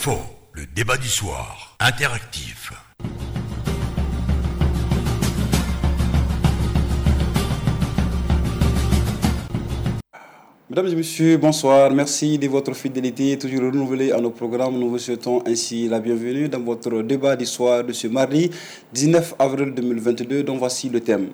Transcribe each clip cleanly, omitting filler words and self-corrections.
Info, le débat du soir, interactif. Mesdames et messieurs, bonsoir. Merci de votre fidélité toujours renouvelée à nos programmes. Nous vous souhaitons ainsi la bienvenue dans votre débat du soir de ce mardi 19 avril 2022, dont voici le thème.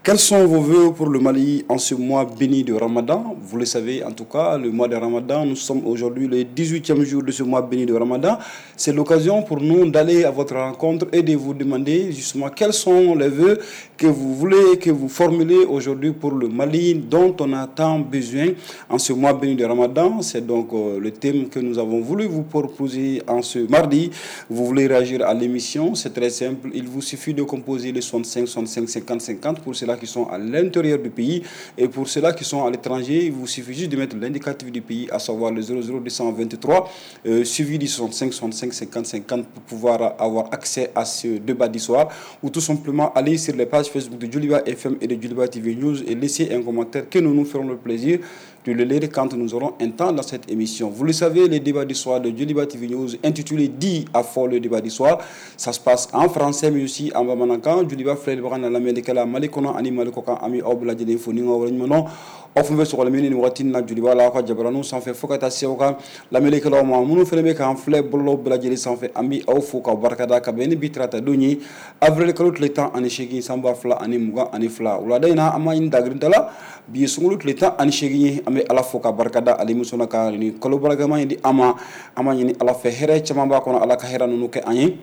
Quels sont vos vœux pour le Mali en ce mois béni de Ramadan? Vous le savez, en tout cas, le mois de Ramadan, nous sommes aujourd'hui le 18e jour de ce mois béni de Ramadan. C'est l'occasion pour nous d'aller à votre rencontre et de vous demander justement quels sont les vœux que vous voulez, que vous formulez aujourd'hui pour le Mali dont on a tant besoin en ce mois béni de Ramadan. C'est donc le thème que nous avons voulu vous proposer en ce mardi. Vous voulez réagir à l'émission, c'est très simple. Il vous suffit de composer le 65 65 50 50 pour ceux-là qui sont à l'intérieur du pays, et pour ceux-là qui sont à l'étranger, il vous suffit juste de mettre l'indicatif du pays, à savoir le 00 223, suivi du 65 65 50 50 pour pouvoir avoir accès à ce débat du soir, ou tout simplement aller sur les pages Facebook de Djoliba FM et de Djoliba TV News et laisser un commentaire que nous nous ferons le plaisir de le lire quand nous aurons un temps dans cette émission. Vous le savez, le débat du soir de Djoliba TV News, intitulé Dit à fort le débat du soir, ça se passe en français mais aussi en bamanankan. Djoliba filɛlibaga n'a lamɛnnikɛla Mali kɔnɔ ani Mali kɔkan, an bɛ aw bɛɛ lajɛlen fo ni ka waleɲuman dɔn. Aw fɛn fɛn sɔgɔlen bɛ nin waati in na Djoliba la aw ka jabaraninw sanfɛ fo ka taa se aw ka lamɛnnikɛlaw ma. Minnu fana bɛ k'an filɛ bɔlɔlɔw bɛɛ lajɛlen sanfɛ, an bɛ aw fo k'aw barikada ka bɛn ni bi tarata don ye, avril kalo tile 18 san 2022. Wulada in na an b'a ɲini dagirinta la, bi ye sunkalo tile 18 ye, an bɛ Ala fo ka barikada ale min sɔnna ka nin kalo barikama in di an ma. An b'a ɲini Ala fɛ hɛrɛ caman b'a kɔnɔ, Ala ka hɛrɛ ninnu kɛ an ye,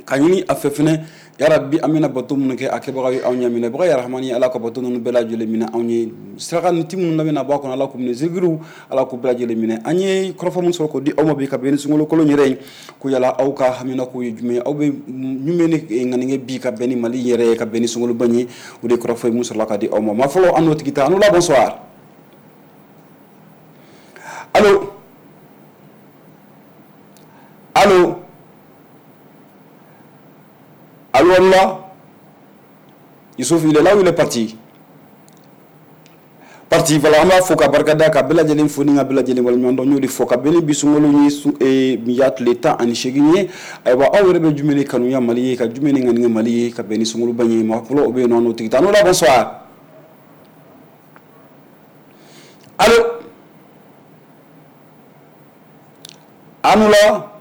ka ɲini a fɛ fɛnɛ yarabi an bɛna bato minnu kɛ a kɛbagaw ye anw ɲɛ minɛbaga ya Rahamani, Ala ka bato ninnu bɛɛ lajɛlen minɛ anw ye. Saraka ni ti minnu bɛna bɔ a kɔnɔ, Ala k'u minɛ, zikiriw Ala k'u bɛɛ lajɛlen minɛ an ye. Kɔrɔfɔ min sɔrɔ k'o di aw ma bi ka bɛn ni sunkalo kolon yɛrɛ ye, ko yala aw ka haminako ye jumɛn ye, aw bɛ jumɛn ni ŋaniŋɛ bi ka bɛn ni Mali yɛrɛ ye, ka bɛn ni sunkaloba ye? O de ye kɔrɔfɔ ye mun sɔrɔla ka di aw ma. Maa fɔlɔ, an n'o tigi ta. An n'o la, bonsoir. Allo, allo, allo, Allah. Youssouf, il est là ou il est parti? Parti, voilà, an b'a fo ka barikada ka bɛɛ lajɛlen fo ni ka bɛɛ lajɛlen waleɲuman dɔn. N y'o de fɔ ka bɛn ni bi sunkalo ye, bi y'a tile 18 ye. Ayiwa, aw yɛrɛ bɛ jumɛn de kanuya Mali ye, ka jumɛn de ŋaniya Mali ye ka bɛn ni sunkaloba ye? Maa fɔlɔ o bɛ yen nɔ, n'o tigi ta. N'o la, bonsoir. Allo, an la,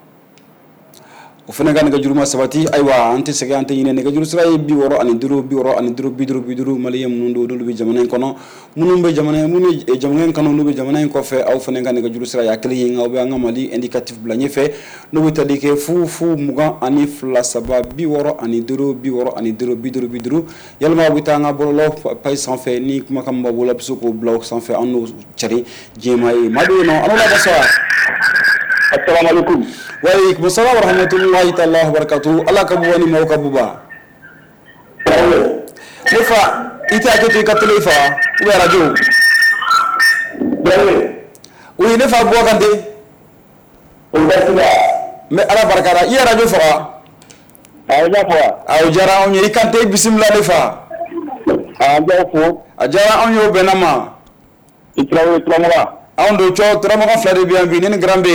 o fana ka nɛgɛjuru ma sabati. Ayiwa, an tɛ sɛgɛn, an tɛ ɲinɛ. Nɛgɛjuru sira ye 65 65 50 50. Maliyɛn minnu don, n'olu bɛ jamana in kɔnɔ, minnu bɛ jamana, minnu ye jamana in kanu, n'u bɛ jamana in kɔfɛ, aw fana ka nɛgɛjuru sira y'a kelen ye, nka aw bɛ an ka Mali indicatif bila ɲɛfɛ, n'o bɛ tali kɛ 0 0 22 3 65 65 50 50. Yalima aw bɛ taa an ka bɔlɔlɔ page sanfɛ, ni kumakan b'aw bolo, a bɛ se k'o bila o sanfɛ, an n'o cari diɲɛmaa ye. Maa bɛ yen nɔ, an la, bonsoir. Assalamu alaikum. Wa alaikum salam wa rahmatullahi ta'ala wa barakatuh. Ala ka buba ni maaw ka buba. Ne fa, i tɛ hakɛ to i ka télé fa ou bien radio? Oui, ne fa, Buwa Kante. N bɛ Ala barika da. I ye radio faga? A o diyara anw ye. I Kante, bisimila ne fa. A diyara anw ye, o bɛnna ma. I Tarawele Turamagan. Anw don cɔ, Turamagan fila de bɛ yan bi, ne ni Grand B.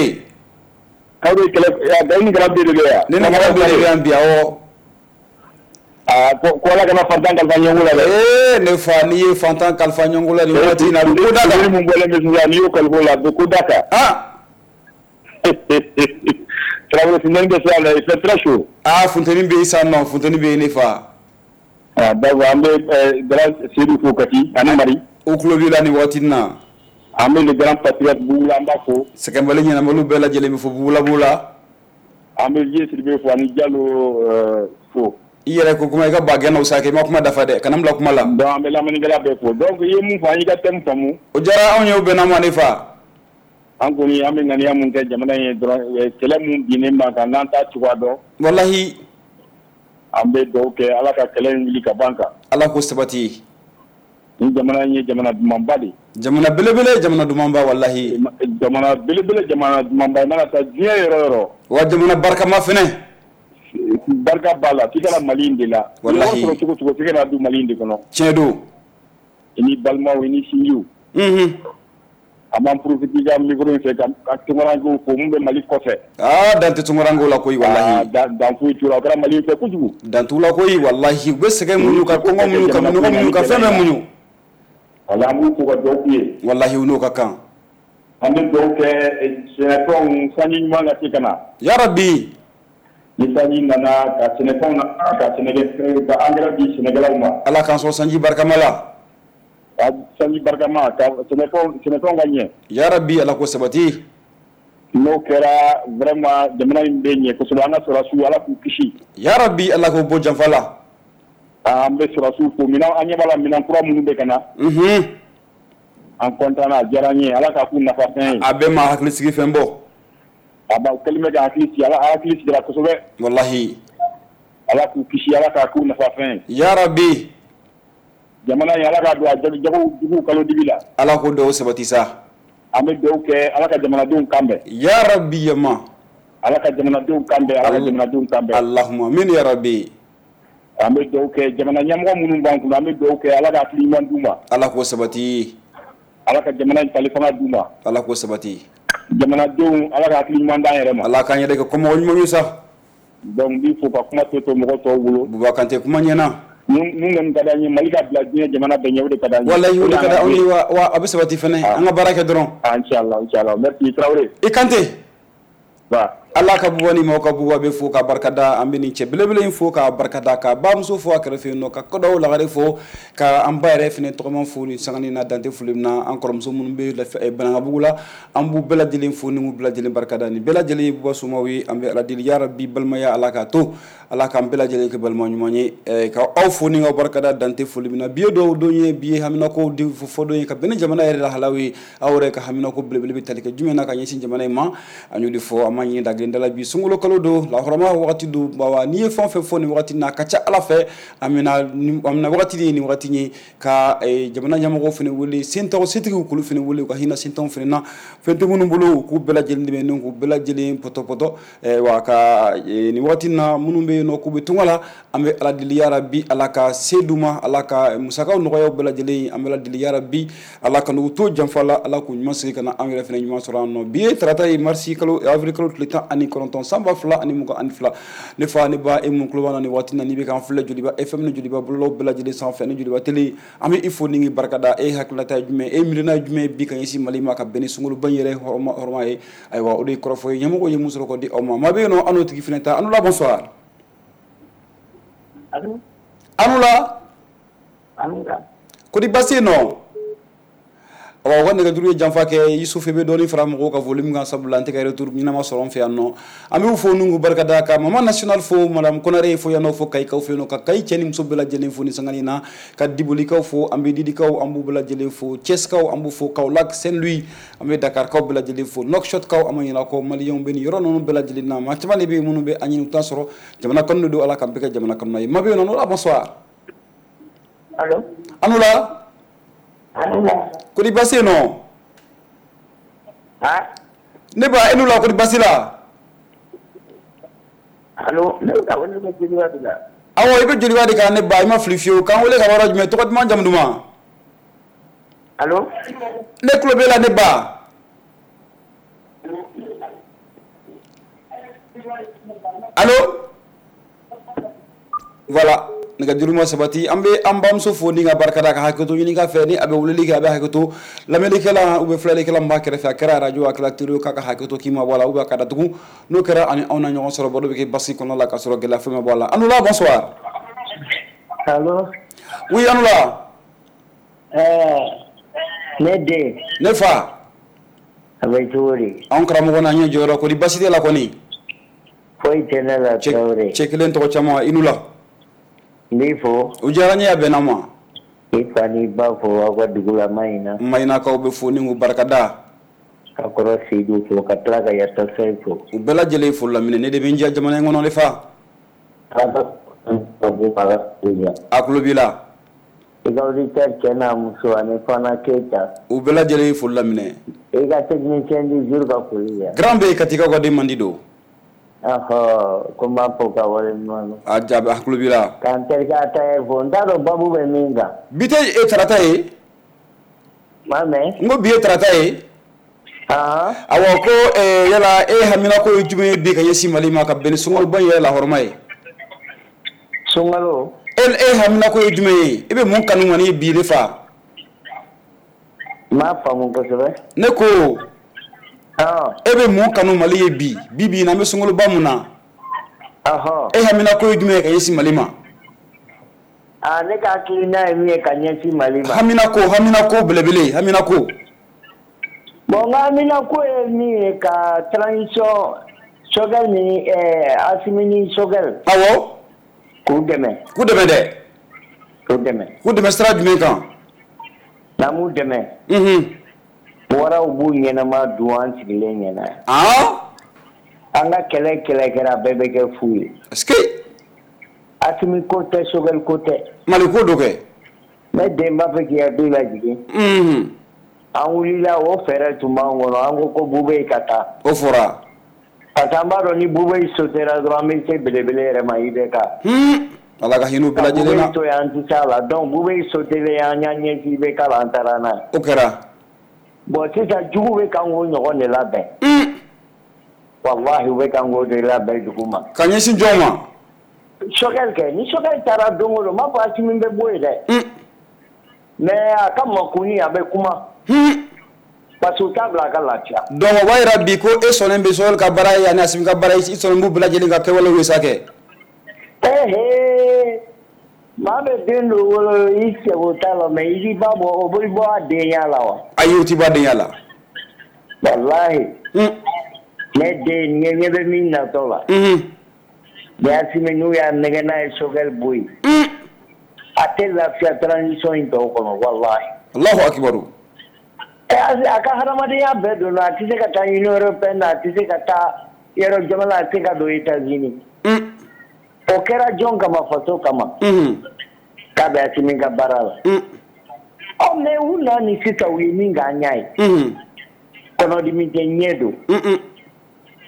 Aw de kɛlɛ, ni Grand B de bɛ yan. Ne ni Grand B de bɛ yan bi, awɔ. Aa, ko Ala kana fantan kalifa ɲɛngo la dɛ. Ee ne fa, n'i ye fantan kalifa ɲɛngo la nin waati in na, a bɛ ko da kan. Mun bɔlen bɛ sisan, n'i y'o kalifa o la, a bɛ ko da kan. Ah. Tarawele, funteni bɛ sisan dɛ, il fait très chaud. Aa, funteni bɛ yen sisan nɔ, funteni bɛ yen ne fa. Ah d'accord, an bɛ grand Seydou fo Kati ani Mari. O tulo b'i la nin waati in na. An bɛ le grand patriote Bugula, an b'a fo. Sɛgɛnbali ɲɛnabaliw bɛɛ lajɛlen bɛ fo Bugula b'u la. An bɛ Vieux Sidibe fo ani Jalo fo. I yɛrɛ ko kuma i ka ba gɛnna o sa kɛ, i ma kuma dafa dɛ, kana n bila kuma la. Donc an bɛ lamɛnnikɛla bɛɛ fo. Donc i ye mun fɔ, an y'i ka thème faamu. O diyara anw ye, o bɛnna ma ne fa. An kɔni an bɛ ŋaniya mun kɛ jamana in ye dɔrɔn, kɛlɛ mun binnen b'an kan, n'an t'a cogoya dɔn. Walahi. An bɛ dugawu kɛ Ala ka kɛlɛ in wuli ka bɔ an kan. Ala k'o sabati. Ni jamana in ye jamana dumanba de ye. Jamana belebele, jamana dumanba, walahi. Jamana belebele, jamana dumanba, i mana taa diɲɛ yɔrɔ yɔrɔ. Wa jamana barikama fɛnɛ. Barika b'a la, f'i ka na Mali in de la. Walahi. I sɔrɔ cogo cogo, f'i ka na don Mali in de kɔnɔ. Tiɲɛ don. I ni balimaw, i ni sinjiw. Unhun. An b'an profiter ka micro in fɛ ka tunkarankew fo mun bɛ Mali kɔfɛ. Aa, dan tɛ tunkarankew la koyi walahi. Dan foyi t'u la, o kɛra Mali fɛ kojugu. Dan t'u la koyi walahi, u bɛ sɛgɛn muɲu ka kɔngɔ muɲu ka minɔgɔ muɲu ka fɛn bɛɛ muɲu. Walahi, an b'u fo ka dugawu k'u ye. Walahi, u n'o ka kan. An bɛ dugawu kɛ sɛnɛfɛnw sanji ɲuman ka se ka na. Yarabi. Ni sanji nana ka sɛnɛfɛnw na ka sɛnɛkɛ ka engrais di sɛnɛkɛlaw ma. Ala k'an sɔn sanji barikama la. Ka sanji barikama ka sɛnɛfɛnw ka ɲɛ. Yarabi, Ala ko sabati. N'o kɛra vraiment jamana in bɛ ɲɛ kosɛbɛ, an ka sɔrɔdasiw, Ala k'u kisi. Yarabi, Ala k'u bɔ janfa la. An bɛ sɔrɔdasiw fo, minɛn an ɲɛ b'a la, minɛn kura minnu bɛ ka na. An content na, a diyara an ye, Ala k'a k'u nafafɛn ye. A bɛɛ ma hakili sigi fɛn bɔ. A ba kɛlen bɛ ka hakili sigi, Ala hakili sigira kosɛbɛ. Walahi. Ala k'u kisi, Ala k'a k'u nafafɛn ye. Yarabi. Jamana in, Ala k'a don a jago jugu kalo dibi la. Ala k'o dɔw sabati sa. An bɛ dugawu kɛ, Ala ka jamanadenw kan bɛn. Yarabi yama. Ala ka jamanadenw kan bɛn, Ala ka jamanadenw kan bɛn. Allahumma amin ya rabbi. An bɛ dugawu kɛ jamana ɲɛmɔgɔ minnu b'an kunna, an bɛ dugawu kɛ, Ala ka hakili ɲuman d'u ma. Ala k'o sabati. Ala ka jamana in tali fanga d'u ma. Ala k'o sabati. Jamanadenw, Ala ka hakili ɲuman d'an yɛrɛ ma. Ala k'an yɛrɛ kɛ kɔmɔgɔ ɲuman ye sa. Donc n b'i fo ka kuma to mɔgɔ tɔw bolo. Buba Kante, kuma ɲɛna. Mun kɔni ka d'an ye, Mali ka bila diɲɛ jamana bɛɛ ɲɛ, o de ka d'an ye. Walahi, o de ka d'anw ye, wa a bɛ sabati fɛnɛ, an ka baara kɛ dɔrɔn. Inchallah, inchallah, merci Traoré. I Kante. Ba. Ala ka buba ni maaw ka buba bɛ fo ka barikada, an bɛ nin cɛ belebele in fo ka barikada, ka bamuso fo a kɛrɛfɛ yen nɔ, ka kɔdaw lagare fo, ka an ba yɛrɛ fɛnɛ tɔgɔma fo ni sangani na, dante foli min na, an kɔrɔmuso minnu bɛ Banankabugu la, an b'u bɛɛ lajɛlen fo ni k'u bɛɛ lajɛlen barikada. Nin bɛɛ lajɛlen ye buba somaw ye, an bɛ Ala deli yarabi, balimaya Ala k'a to, Ala k'an bɛɛ lajɛlen kɛ balima ɲuman ye, ka aw fo ni k'aw barikada dante foli min na. Bi ye dɔw don ye, bi ye haminako fɔ don ye ka bɛn ni jamana yɛrɛ lahalaw ye. Aw yɛrɛ ka haminako belebele bɛ tali kɛ jumɛn na ka ɲɛsin jamana in ma, an y'o de fɔ, an ma ɲini da gɛlɛn da la. Bi sunkalo kalo don, lahɔrɔma wagati don, bawa n'i ye fɛn o fɛn fɔ nin wagati na, a ka ca Ala fɛ an bɛna wagati de ye nin wagati ye ka jamana ɲɛmɔgɔw fana wele, sentaw setigiw k'olu fana wele, u ka hinɛ sentanw fana na, fɛn tɛ minnu bolo, u k'u bɛɛ lajɛlen dɛmɛ, ni k'u bɛɛ lajɛlen pɔtɔpɔtɔ wa ka nin wagati na minnu bɛ yen nɔ k'u bɛ tunga la, an bɛ Ala deli yarabi, Ala ka se d'u ma, Ala ka musakaw nɔgɔya bɛɛ lajɛlen, an bɛ Ala deli yarabi, Ala ka n'u to janfa la, Ala k'u ɲuman segin ka na anw yɛrɛ fana ɲuman sɔrɔ an nɔ. Bi ye tarata ye, marisi kalo, avril kalo tile 19 san 2022. Ne fa, ne ba, e mun tulo b'an na nin waati na, n'i bɛ k'an filɛ Joliba FM ni Joliba bɔlɔlɔw bɛɛ lajɛlen sanfɛ ni Joliba télé, an bɛ i fo ni k'i barikada. E hakilinata ye jumɛn, e miirina ye jumɛn bi ka ɲɛsin Mali ma ka bɛn ni sunkaloba in yɛrɛ hɔrɔma ye? Ayiwa, o de ye kɔrɔfɔ ye, ɲɛmɔgɔ ye mun sɔrɔ k'o di aw ma. Maa bɛ yen nɔ, an n'o tigi fana ta. An la, bonsoir. An la. Ko di baasi yen nɔ? Awa, u ka nɛgɛjuru ye janfa kɛ. Yusufu bɛ dɔɔnin fara mɔgɔw ka volume kan, sabula an tɛ ka retour ɲɛnama sɔrɔ an fɛ yan nɔ. An b'u fo n'u barikada, ka Mama national fo, madame Konare fo yan nɔ, fo Kayikaw fɛ yen nɔ, ka Kayi cɛ ni muso bɛɛ lajɛlen fo ni sangani na, ka Dibolikaw fo, an bɛ Didikaw, an b'u bɛɛ lajɛlen fo, Thiès-kaw an b'u fo, Kaolack, Saint-Louis, an bɛ Dakarkaw bɛɛ lajɛlen fo, Nouakchottkaw, an ma ɲinɛ kɔ, Maliyɛnw bɛ nin yɔrɔ ninnu bɛɛ lajɛlen na. Maa caman de bɛ yen minnu bɛ an ɲini, u t'a sɔrɔ jamana kanu de don, Ala k'an bɛɛ kɛ jamana kanu ye. Maa bɛ yen nɔ, bonsoir. Allo. An la. Ko di baasi yen nɔ? Ne ba, e n'u la, ko di baasi la? Allo, ne bɛ ka wele kɛ Joliba de la. Awɔ, i bɛ Joliba de kan ne ba, i ma fili fiyewu. K'an wele ka bɔ yɔrɔ jumɛn, tɔgɔ duman, jamu duman? Allo. Ne tulo b'e la ne ba. Allo. Voilà, nɛgɛjuru ma sabati. An bɛ an bamuso fo ni ka barikada, ka hakɛto ɲini ka fɛ ni a bɛ weleli kɛ, a bɛ hakɛto lamɛnnikɛla ou bien filɛlikɛla min b'a kɛrɛfɛ, a kɛra radio, a kɛra télé, k'a ka hakɛto k'i ma bɔ a la ou bien ka datugu. N'o kɛra, ani anw na ɲɔgɔn sɔrɔ, baro bɛ kɛ basi kɔnɔ la ka sɔrɔ gɛlɛya foyi ma bɔ a la. Anula, bonsoir. Allo. Oui, Anula. Ne den. Ne fa. A bɛ cogo di? Anw karamɔgɔ n'an ɲɛ jɔyɔrɔ, kɔni basi tɛ la kɔni? Foyi tɛ ne la, Traoré. Cɛ kelen tɔgɔ caman, i n'u la. N b'i fo. O diyara n ye, a bɛnna ma. I fa n'i ba fo aw ka dugu la Mayina. Mayinakaw bɛ fo ni k'u barikada. Ka kɔrɔ Seydou fo, ka tila ka Yata Sayi fo. U bɛɛ lajɛlen fo laminɛ, ne de bɛ n diya jamana in kɔnɔ ne fa. A tulo b'i la. I ka auditeur cɛ n'a muso ani Fana Keyita. U bɛɛ lajɛlen fo laminɛ. I ka technicien du jour ka foli kɛ. Grand B, Katikaw ka den mandi don. Ɔhɔ, ko n b'a fɔ ka waleɲuman dɔn. A jaabi, a tulo b'i la. K'an terikɛ Ataye fo, n t'a dɔn babu bɛ min kan. Bi tɛ e tarata ye? M'a mɛn. N ko bi ye tarata ye. Awa ko yala e hamina ko ye jumɛn ye bi ka ɲɛsin Mali ma ka bɛn ni sunkaloba in yɛrɛ lahɔrɔma ye? Sunkalo. E hamina ko ye jumɛn ye? E bɛ mun kanu kɔni bi ne fa? N m'a faamu kosɛbɛ. Ne ko. E bɛ mun kanu Mali ye bi? Bi bi in na an bɛ sunkaloba mun na? E hamina ko ye jumɛn ye ka ɲɛsin Mali ma? Ne ka hakilina ye min ye ka ɲɛsin Mali ma. Hamina ko belebele, hamina ko. Bon, n ka hamina ko ye min ye ka transition Choguel ni Assimi ni Choguel. Awɔ. K'u dɛmɛ. K'u dɛmɛ dɛ. K'u dɛmɛ. K'u dɛmɛ sira jumɛn kan? N'an m'u dɛmɛ. Waraw b'u ɲɛnama dun an sigilen ɲɛna. An ka kɛlɛ kɛra bɛɛ bɛ kɛ fu ye. Est-ce que. Assimi ko tɛ, Choguel ko tɛ. Mali ko do kɛ. Ne den b'a fɛ k'i hakili lajigin. An wulila o fɛɛrɛ tun b'an kɔnɔ, an ko Bubey ka taa. O fɔra. Parce que an b'a dɔn ni Bubey sotera dɔrɔn an bɛ se belebele yɛrɛ ma IBK. Ala ka hinɛ u bɛɛ lajɛlen na. Ka Bubey to yen an tɛ se a la, donc Bubey sotelen an y'an ɲɛsin IBK la, an taara n'a ye. O kɛra. Bon sisan jugu bɛ kan k'o ɲɔgɔn de labɛn. Walahi u bɛ kan k'o de labɛn jugu ma. Ka ɲɛsin jɔn ma? Choguel kɛ, ni Choguel taara don o don, n m'a fɔ Assimi bɛ bɔ yen dɛ. Mais a ka makuni a bɛ kuma. Parce que u t'a bila a ka lafiya. Donc o b'a jira bi ko e sɔnnen bɛ Choguel ka baara ye ani Assimi ka baara ye, i sɔnnen b'u bɛɛ lajɛlen ka kɛwalew ye sa kɛ. Maa bɛ den dɔ wolo i sɛgo t'a la, mais i b'a bɔ o bɛ bɔ a denya la wa? Ayi, o tɛ bɔ a denya la. Walahi. Ne den ɲɛ bɛ min natɔ la. Ni Assimi n'u y'a nɛgɛ n'a ye Choguel bɔ yen. A tɛ lafiya transition in tɔw kɔnɔ walahi. Allahu akibaru. A ka hadamadenya bɛɛ donna, a tɛ se ka taa Union européenne na, a tɛ se ka taa yɔrɔ jamana, a tɛ se ka don États-Unis. O kɛra jɔn kama? Faso kama. K'a bɛ Assimi ka baara la. Ɔ mais u na ni sisan u ye min k'an ɲa ye. Kɔnɔdimi tɛ, ɲɛ don.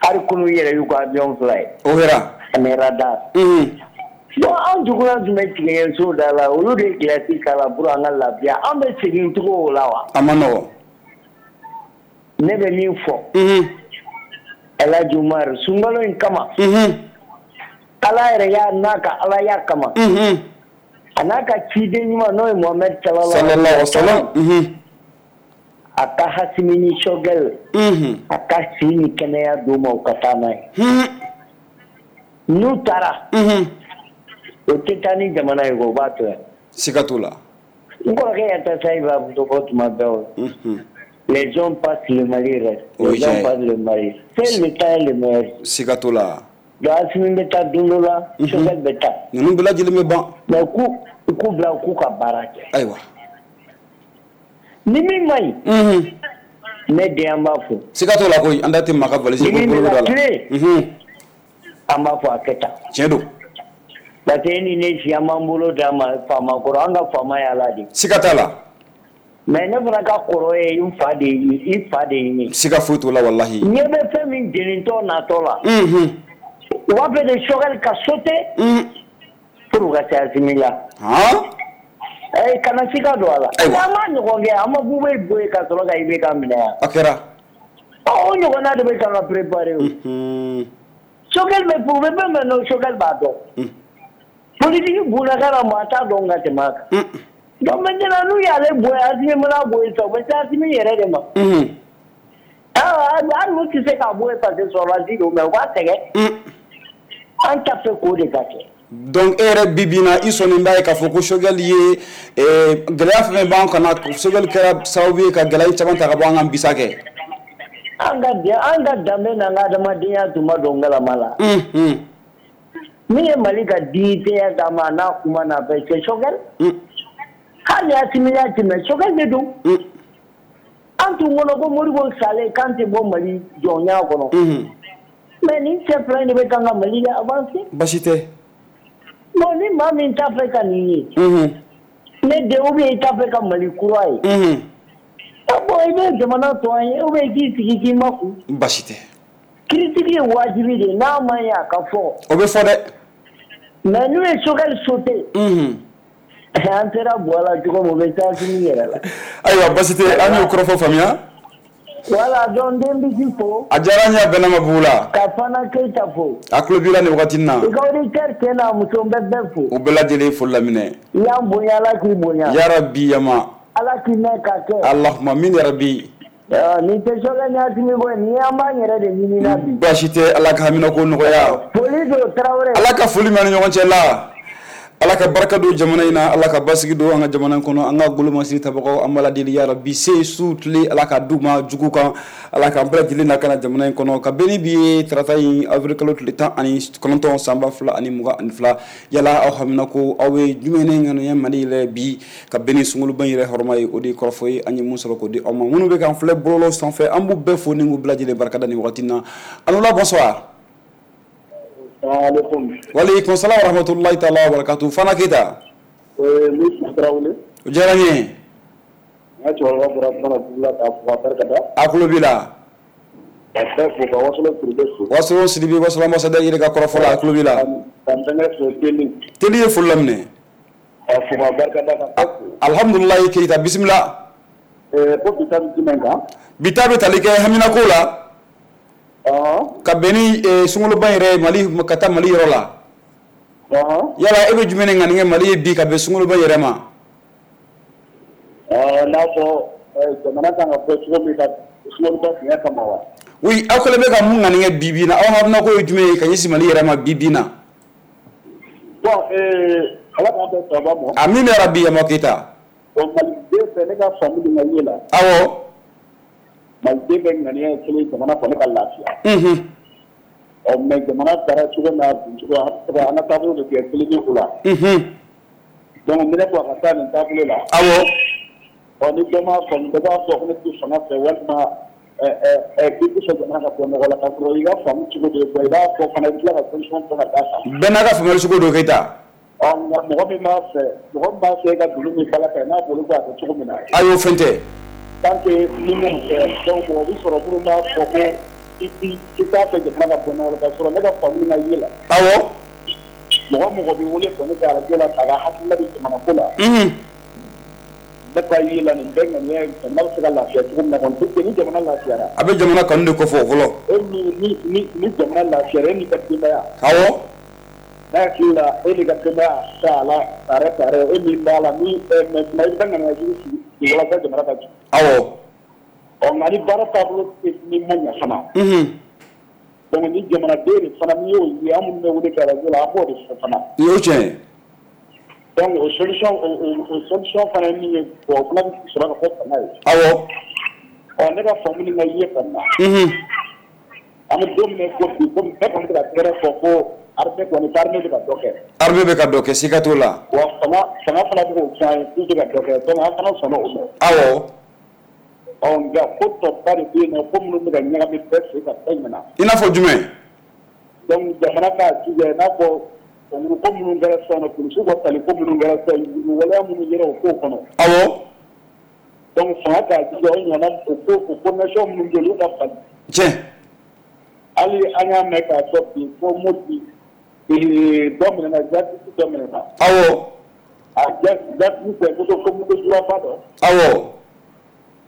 Hali kunun yɛrɛ y'u ka avion fila ye. O kɛra. Ani radar. Bon an juguya tun bɛ tigɛso da la, olu de ye glace k'a la pour an ka lafiya. An bɛ segin cogo o la wa? A ma nɔgɔn. Ne bɛ min fɔ. El Hadj Umar sunkalo in kama. Ala yɛrɛ y'a n'a ka Alaya kama. A n'a ka ciden ɲuman n'o ye Mohamed sallallahu alaihi wasallam. A ka Assimi ni Choguel. A ka si ni kɛnɛya d'u ma u ka taa n'a ye. N'u taara. O tɛ taa ni jamana ye, o b'a to yan. Siga t'o la. N kɔrɔkɛ Yatasa b'a fɔ tuma bɛɛ o. Les hommes passent, le Mali reste. Les hommes passent, le Mali. C'est le temps est le meilleur. Siga t'o la. Donc Assimi bɛ taa don dɔ la, Choguel bɛ taa. Ninnu bɛɛ lajɛlen bɛ ban. Mais u k'u bila u k'u ka baara kɛ. Ayiwa. Ni min ma ɲi. Ne den an b'a fɔ. Siga t'o la koyi, an da tɛ maa ka valise ko bolo da la. Ni min bɛ ka tilen, an b'a fɔ a kɛ tan. Tiɲɛ don. Parce que e ni ne si an b'an bolo d'a ma faama kɔrɔ, an ka faama ye Ala de ye. Siga t'a la. Mais ne fana ka kɔrɔ ye n fa de ye, i fa de ye ne. Siga foyi t'o la walahi. Ɲɛ bɛ fɛn min jenintɔ natɔ la. U b'a fɛ de Choguel ka sauter. Pour u ka se Assimi la. Kana siga don a la. Ayiwa. An m'a ɲɔgɔn kɛ, an ma Bubey bɔ yen ka sɔrɔ ka IBK minɛ yan. A kɛra. Ɔ o ɲɔgɔnna de bɛ kan ka préparer o. Choguel bɛ u bɛ fɛn fɛn dɔn, Choguel b'a dɔn. Politique bunaka maa t'a dɔn ka tɛmɛ a kan. Donc maintenant n'u y'ale bɔ yen, Assimi mana bɔ yen sisan, u bɛ se Assimi yɛrɛ de ma. Hali n'u tɛ se k'a bɔ yen parce que sɔrɔdasi don, mais u b'a sɛgɛn. An t'a fɛ k'o de ka kɛ. Donc e yɛrɛ bi bi in na i sɔnnen b'a ye k'a fɔ ko Choguel ye gɛlɛya fɛn fɛn b'an kan na, Choguel kɛra sababu ye ka gɛlɛya caman ta ka bɔ an kan bisa kɛ. An ka danbe n'an ka adamadenya tun ma don galama la. Min ye Mali ka dignité d'a ma n'a kuma n'a fɛ, c'est Choguel. Hali Assimi y'a tɛmɛ, Choguel de don. An tun kɔnɔ ko Modibo salen k'an tɛ bɔ Mali jɔnya kɔnɔ. Mais nin cɛ fila in de bɛ kan ka Mali avancer. Basi tɛ. Bon ni maa min t'a fɛ ka nin ye. Ne den ou bien i t'a fɛ ka Mali kura ye. Bon i bɛ jamana to an ye ou bien i k'i sigi k'i makun. Basi tɛ. Critique ye wajibi de ye, n'a ma ɲɛ a ka fɔ. O bɛ fɔ dɛ. Mais n'u ye Choguel sauter. An sera bɔ la cogo min, o bɛ taa Assimi yɛrɛ la. Ayiwa basi tɛ, an y'o kɔrɔfɔ faamuya. Voilà, donc den bisi fo. A diyara n ye, a bɛnna ma bugu la. Ka Fana Keita fo. A tulo b'i la nin wagati in na. I ka auditeur cɛ n'a muso, n bɛ bɛɛ fo. U bɛɛ lajɛlen foli laminɛ. I y'an bonya, Ala k'i bonya. Yarabi yama. Ala k'i mɛn ka kɛ. Allahumma amin yarabi. Nin tɛ Choguel ni Assimi ko ye, nin an b'an yɛrɛ de ɲini na bi. Baasi tɛ, Ala ka hamina ko nɔgɔya. Foli don Tarawele. Ala ka foli mɛn ni ɲɔgɔn cɛ la. Ala ka barika don jamana in na, Ala ka basigi don an ka jamana kɔnɔ, an ka golomasiri tabagaw, an b'a deli yarabi, se su tile Ala ka d'u ma jugu kan, Ala k'an bɛɛ lajɛlen lakana jamana in kɔnɔ. Ka bɛn ni bi ye, tarata in, avril kalo tile 19 san 2022, yala aw hamina ko aw ye jumɛn ne ŋaniya Mali yɛrɛ bi ka bɛn ni sunkaloba in yɛrɛ hɔrɔma ye? O de ye kɔrɔfɔ ye an ye mun sɔrɔ k'o di aw ma. Minnu bɛ k'an filɛ bɔlɔlɔ sanfɛ, an b'u bɛɛ fo ni k'u bɛɛ lajɛlen barikada nin wagati in na. Allo, bonsoir. Waaleykum salam wa rahmatullahi ta'ala wa barakatuh. Fana Keita. Musa Tarawele. O diyara n ye. N ka cɛkɔrɔba bɔra kuma na dugu la k'a fo k'a barikada. A tulo b'i la. Ka bɛɛ fo, ka Wasolon Sidibe fo. Wasolon Sidibe, Wasolon ambassadeur yɛrɛ ka kɔrɔfɔ la, a tulo b'i la. Ka n bɛnkɛ fo, Teli. Teli ye foli laminɛ. Ka fo k'a barikada, ka bɛɛ fo. Alhamdulilayi Keita, bisimila. Ko bi ta bɛ jumɛn kan? Bi ta bɛ tali kɛ haminako la. Ka bɛn ni sunkaloba yɛrɛ Mali ka taa Mali yɔrɔ la. Yala e bɛ jumɛn de ŋaniya Mali ye bi ka bɛn sunkaloba yɛrɛ ma? N'a fɔ jamana kan ka bɔ cogo min ka sunkaloba fiɲɛ kama wa? Oui, aw kɛlen bɛ ka mun ŋaniya bi bi in na, aw haminako ye jumɛn ye ka ɲɛsin Mali yɛrɛ ma bi bi in na? Bon, Ala k'an bɛn sababa ma. Amina yarabi Yama Keita. Bon, Maliden fɛ, ne ka faamu ni n ka ye la. Awɔ. Maliden bɛ ŋaniya ye kelen, jamana kɔni ka lafiya. Ɔ mais jamana taara cogo n'a bin cogo, an ka taabolo de kɛ kelen ye o la. Donc ni ne ko a ka taa nin taabolo la. Awɔ. Ɔ ni dɔ m'a faamu, dɔ b'a fɔ ko ne tɛ fanga fɛ, walima k'i tɛ fɛ jamana ka bɔ nɔgɔ la, k'a sɔrɔ i ka faamu cogo de ye, i b'a fɔ fana, i bɛ tila ka solution fɔ ka d'a kan. Bɛɛ n'a ka faamuyali cogo don Keita. Ɔ nka mɔgɔ min b'a fɛ, mɔgɔ min b'a fɛ e ka doni min bala kan, n'a bolo ko a kɛ cogo min na. Ayi, o fɛn tɛ. Tant que ni m'o kɛ, donc mɔgɔ bɛ sɔrɔ minnu b'a fɔ ko i t'a fɛ jamana ka bɔ nɔgɔ la, k'a sɔrɔ ne ka faamu na ye la. Awɔ. Mɔgɔ bɛ wele kɔni kɛ arajo la k'a ka hakilina di jamana ko la. Ne ka ye la, nin bɛɛ ŋaniya ye jamana bɛ se ka lafiya cogo min na kɔni, parce que ni jamana lafiyara. A bɛ jamana kanu de kofɔ fɔlɔ. E ni jamana lafiyara, e n'i ka denbaya. Awɔ. Ne hakili la, e n'i ka denbaya t'a la tare tare, e min b'a la ni maintenant i bɛ taa ŋaniya jugu sigi walasa jamana ka jɔ. Awɔ. Ɔ nka ni baara taabolo ni ma ɲɛ fana. Donc ni jamanaden de fana, n'i y'o ye, an minnu bɛ wele kɛ arajo la, an b'o de fɔ fana. I y'o tiɲɛ ye. Donc o solution o solution fana ye min ye, bon, o fana bɛ sɔrɔ ka fɔ fanga ye. Awɔ. Ɔ ne ka faamu ni n ka ye kɔni na. An bɛ don min na i ko bi, komi bɛɛ kɔni bɛ ka tɛgɛrɛ fɔ ko armée kɔni, armée bɛ ka dɔ kɛ. Armée bɛ ka dɔ kɛ, siga t'o la. Wa fanga fana bɛ k'o fɔ an ye k'u bɛ ka dɔ kɛ, donc an fana sɔnna o ma. Awɔ. Ɔ nka ko tɔba de bɛ yen nɔ, ko minnu bɛ ka ɲagami bɛɛ sen ka bɛɛ ɲɛna. I n'a fɔ jumɛn? Donc jamana k'a jija, i n'a fɔ concours ko minnu kɛra sisan nɔ, polisiw ka tali ko minnu kɛra sisan, waleya minnu yera o kow kɔnɔ. Awɔ. Donc fanga k'a jija, o ɲɔgɔnna o ko o coordination minnu bɛ yen, olu ka falen. Tiɲɛ. Hali an y'a mɛn k'a fɔ bi ko Mopti dɔ minɛna, jihadiste dɔ minɛna. Awɔ. A jihadiste fɛ moto ko moto juraba dɔ. Awɔ.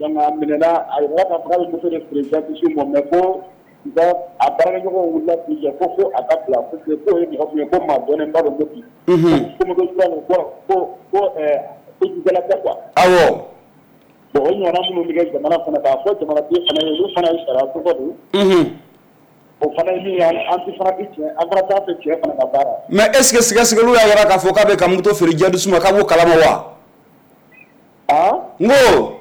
Donc a minɛna, a yɛrɛ k'a fɔ k'a bɛ moto de feere jihadiste ma, mais ko u ka a baarakɛɲɔgɔnw wulila k'u jɔ ko fo a ka bila, parce que k'o ye mɔgɔ min ye, ko maa dɔnnenba don Mopti. Ko moto jura ko ko ko kojugukɛla tɛ quoi. Awɔ. Bon, o ɲɔgɔnna minnu bɛ kɛ jamana kɔnɔ, k'a fɔ jamanaden fana ye, olu fana ye sariya sɔsɔ de ye. O fana ye min ye, an tɛ fana tɛ tiɲɛ, an fana t'a fɛ tiɲɛ fana ka baara. Mais est ce que sɛgɛsɛgɛliw y'a jira k'a fɔ k'a bɛ ka moto feere jihadiste ma, k'a b'o kalama wa? N ko.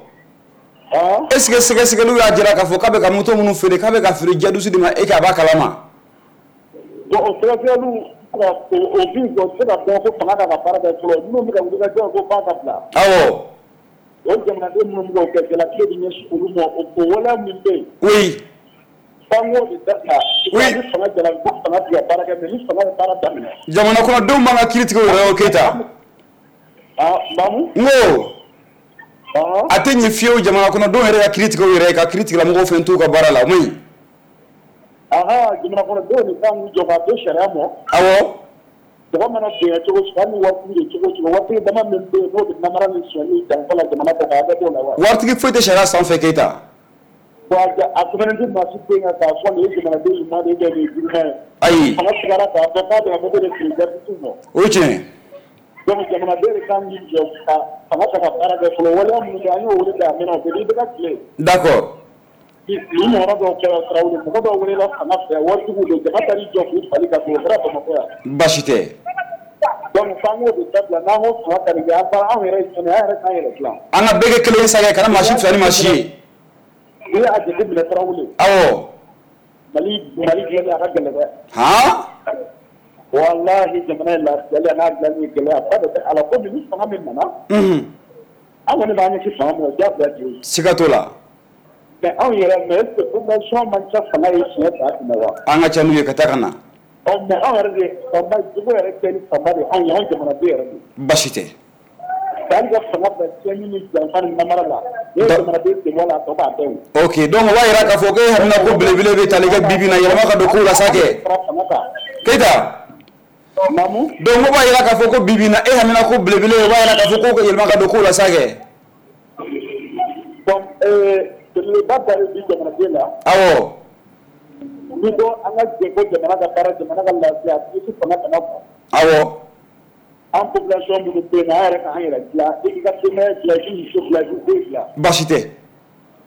Est ce que sɛgɛsɛgɛliw y'a jira k'a fɔ k'a bɛ ka moto minnu feere, k'a bɛ ka feere jihadiste de ma, e k'a b'a kalama? Bon, o sɛgɛsɛgɛliw o bin, o tɛ se ka dɔn ko fanga ka baara kɛ fɔlɔ, minnu bɛ ka wulikajɔ ko f'a ka bila. Awɔ. O jamanaden minnu bɛ k'o kɛ, jalaki bɛ ɲɛsin olu ma, o waleya min bɛ yen. Oui. F'an k'o de dabila. Oui. Ni fanga jalaki ko fanga tɛ ka baara kɛ, mais ni fanga ye baara daminɛ. Jamana kɔnɔdenw b'an ka kiiri tigɛ u yɛrɛ ye o Keita. Naamu. N ko. A tɛ ɲɛ fiyewu jamana kɔnɔdenw yɛrɛ ka kiiri tigɛ u yɛrɛ ye, ka kiiri tigilamɔgɔw fɛn t'u ka baara la, o man ɲi. Jamana kɔnɔdenw de kan k'u jɔ k'a to sariya ma. Awɔ. Mɔgɔ mana bonya cogo cogo, hali ni waritigi de cogo cogo, waritigi dama min bɛ yen n'o bɛ namara ni sonyali janfa la jamana kɔ kan, a bɛɛ b'o la wa? Waritigi foyi tɛ sariya sanfɛ Keita. Bon, Bon a souveraineté maa si tɛ yen k'a fɔ nin ye jamanaden ɲuman de ye ou bien nin ye juguman ye. Ayi. Fanga tigɛra k'a fɔ k'a bɛna moto de feere gardistew ma. O ye tiɲɛ ye. Donc jamanaden de kan k'i jɔ ka fanga ta ka baara kɛ fɔlɔ, waleya minnu kɛ an y'o wele bila a mɛnna o bɛɛ b'i bɛɛ ka tile. D'accord. Nin ɲɔgɔnna dɔw kɛra Tarawele, mɔgɔ dɔw welela fanga fɛ, waritigiw don, jama taar'i jɔ k'u fali ka don, o kɛra Bamakɔ yan. Baasi tɛ. Donc f'an k'o de dabila, n'an ko fanga ka nin kɛ, an taara anw yɛrɛ ye jɔn ye, an yɛrɛ k'an yɛrɛ dilan. An ka bɛɛ kɛ kelen ye sa kɛ, kana maa si fisaya ni maa si ye. N'i y'a jateminɛ Tarawele. Awɔ. Mali dilanni a ka gɛlɛn dɛ. Han. Walahi jamana in lafiyali a n'a dilanni ye gɛlɛya ba de bɛ a la komi ni fanga min nana. Unhun. An kɔni b'an ɲɛsin fanga ma, o diyagoya de ye. Siga t'o la. Mais anw yɛrɛ, mais est ce que population man ca fanga ye siɲɛ 1000 wa? An ka ca n'u ye ka taa ka na. Ɔ mais anw yɛrɛ de fanba jogo yɛrɛ kɛ ni fanba de anw ye, anw jamanaden yɛrɛ de. Baasi tɛ. Hali ka fanga bila tiɲɛni ni janfa ni namara la, n'i ye jamanaden sen bɔ a la, a tɔ b'a bɛɛ ye. Ok, donc o b'a jira k'a fɔ ko e hamina ko belebele bɛ tali kɛ bi bi in na yɛlɛma ka don kow la sa kɛ. Keyita. Naamu. Donc o b'a jira k'a fɔ ko bi bi in na e hamina ko belebele, o b'a jira k'a fɔ ko yɛlɛma ka don kow la sa kɛ. Donc belebeleba da de bi jamanaden la. Awɔ. Ni ko an ka jɛ ko jamana ka baara, jamana ka lafiya, a tɛ fanga kana bɔ. Awɔ. An population minnu bɛ yen, an yɛrɛ k'an yɛrɛ dilan, i k'i ka denbaya dilan, i k'i muso dilan, i k'i den dilan. Baasi tɛ.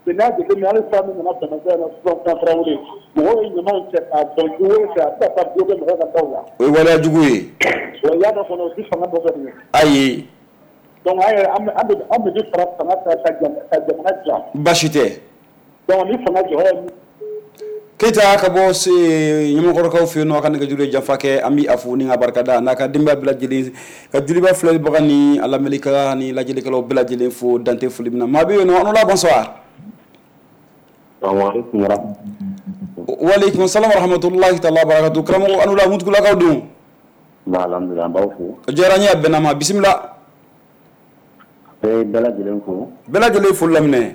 Mais n'a jateminɛ hali san min nana Bamakɔ yan sisan Tarawele, mɔgɔw ye ɲamanw cɛ k'a bɔn jiwoyo fɛ, a bɛ ka taa bloqué mɔgɔw ka daw la. O ye waleya jugu ye. Wa i y'a dɔn fana o tɛ fanga dɔ fɛ. Ayi. Donc an yɛrɛ an bɛ fara fanga kan ka jamana dilan. Baasi tɛ. Donc ni fanga jɔyɔrɔ ye. Keyita ka bɔ se ɲamakɔrɔkaw fɛ yen nɔ, a ka nɛgɛjuru ye janfa kɛ, an bɛ a fo ni ka barikada n'a ka denbaya bɛɛ lajɛlen, ka Joliba filɛlibaga ni a lamɛnnikɛla ni lajɛlikɛlaw bɛɛ lajɛlen fo dante foli min na. Maa bɛ yen nɔ, an la, bonsoir. Waaleykum salam wa rahmatulahi taala barakatu. Karamɔgɔ an la, Mutugulakaw don. Alhamdulilah, an b'aw fo. O diyara n ye, a bɛnna ma, bisimila. Bɛɛ bɛɛ lajɛlen fo. Bɛɛ lajɛlen foli laminɛ.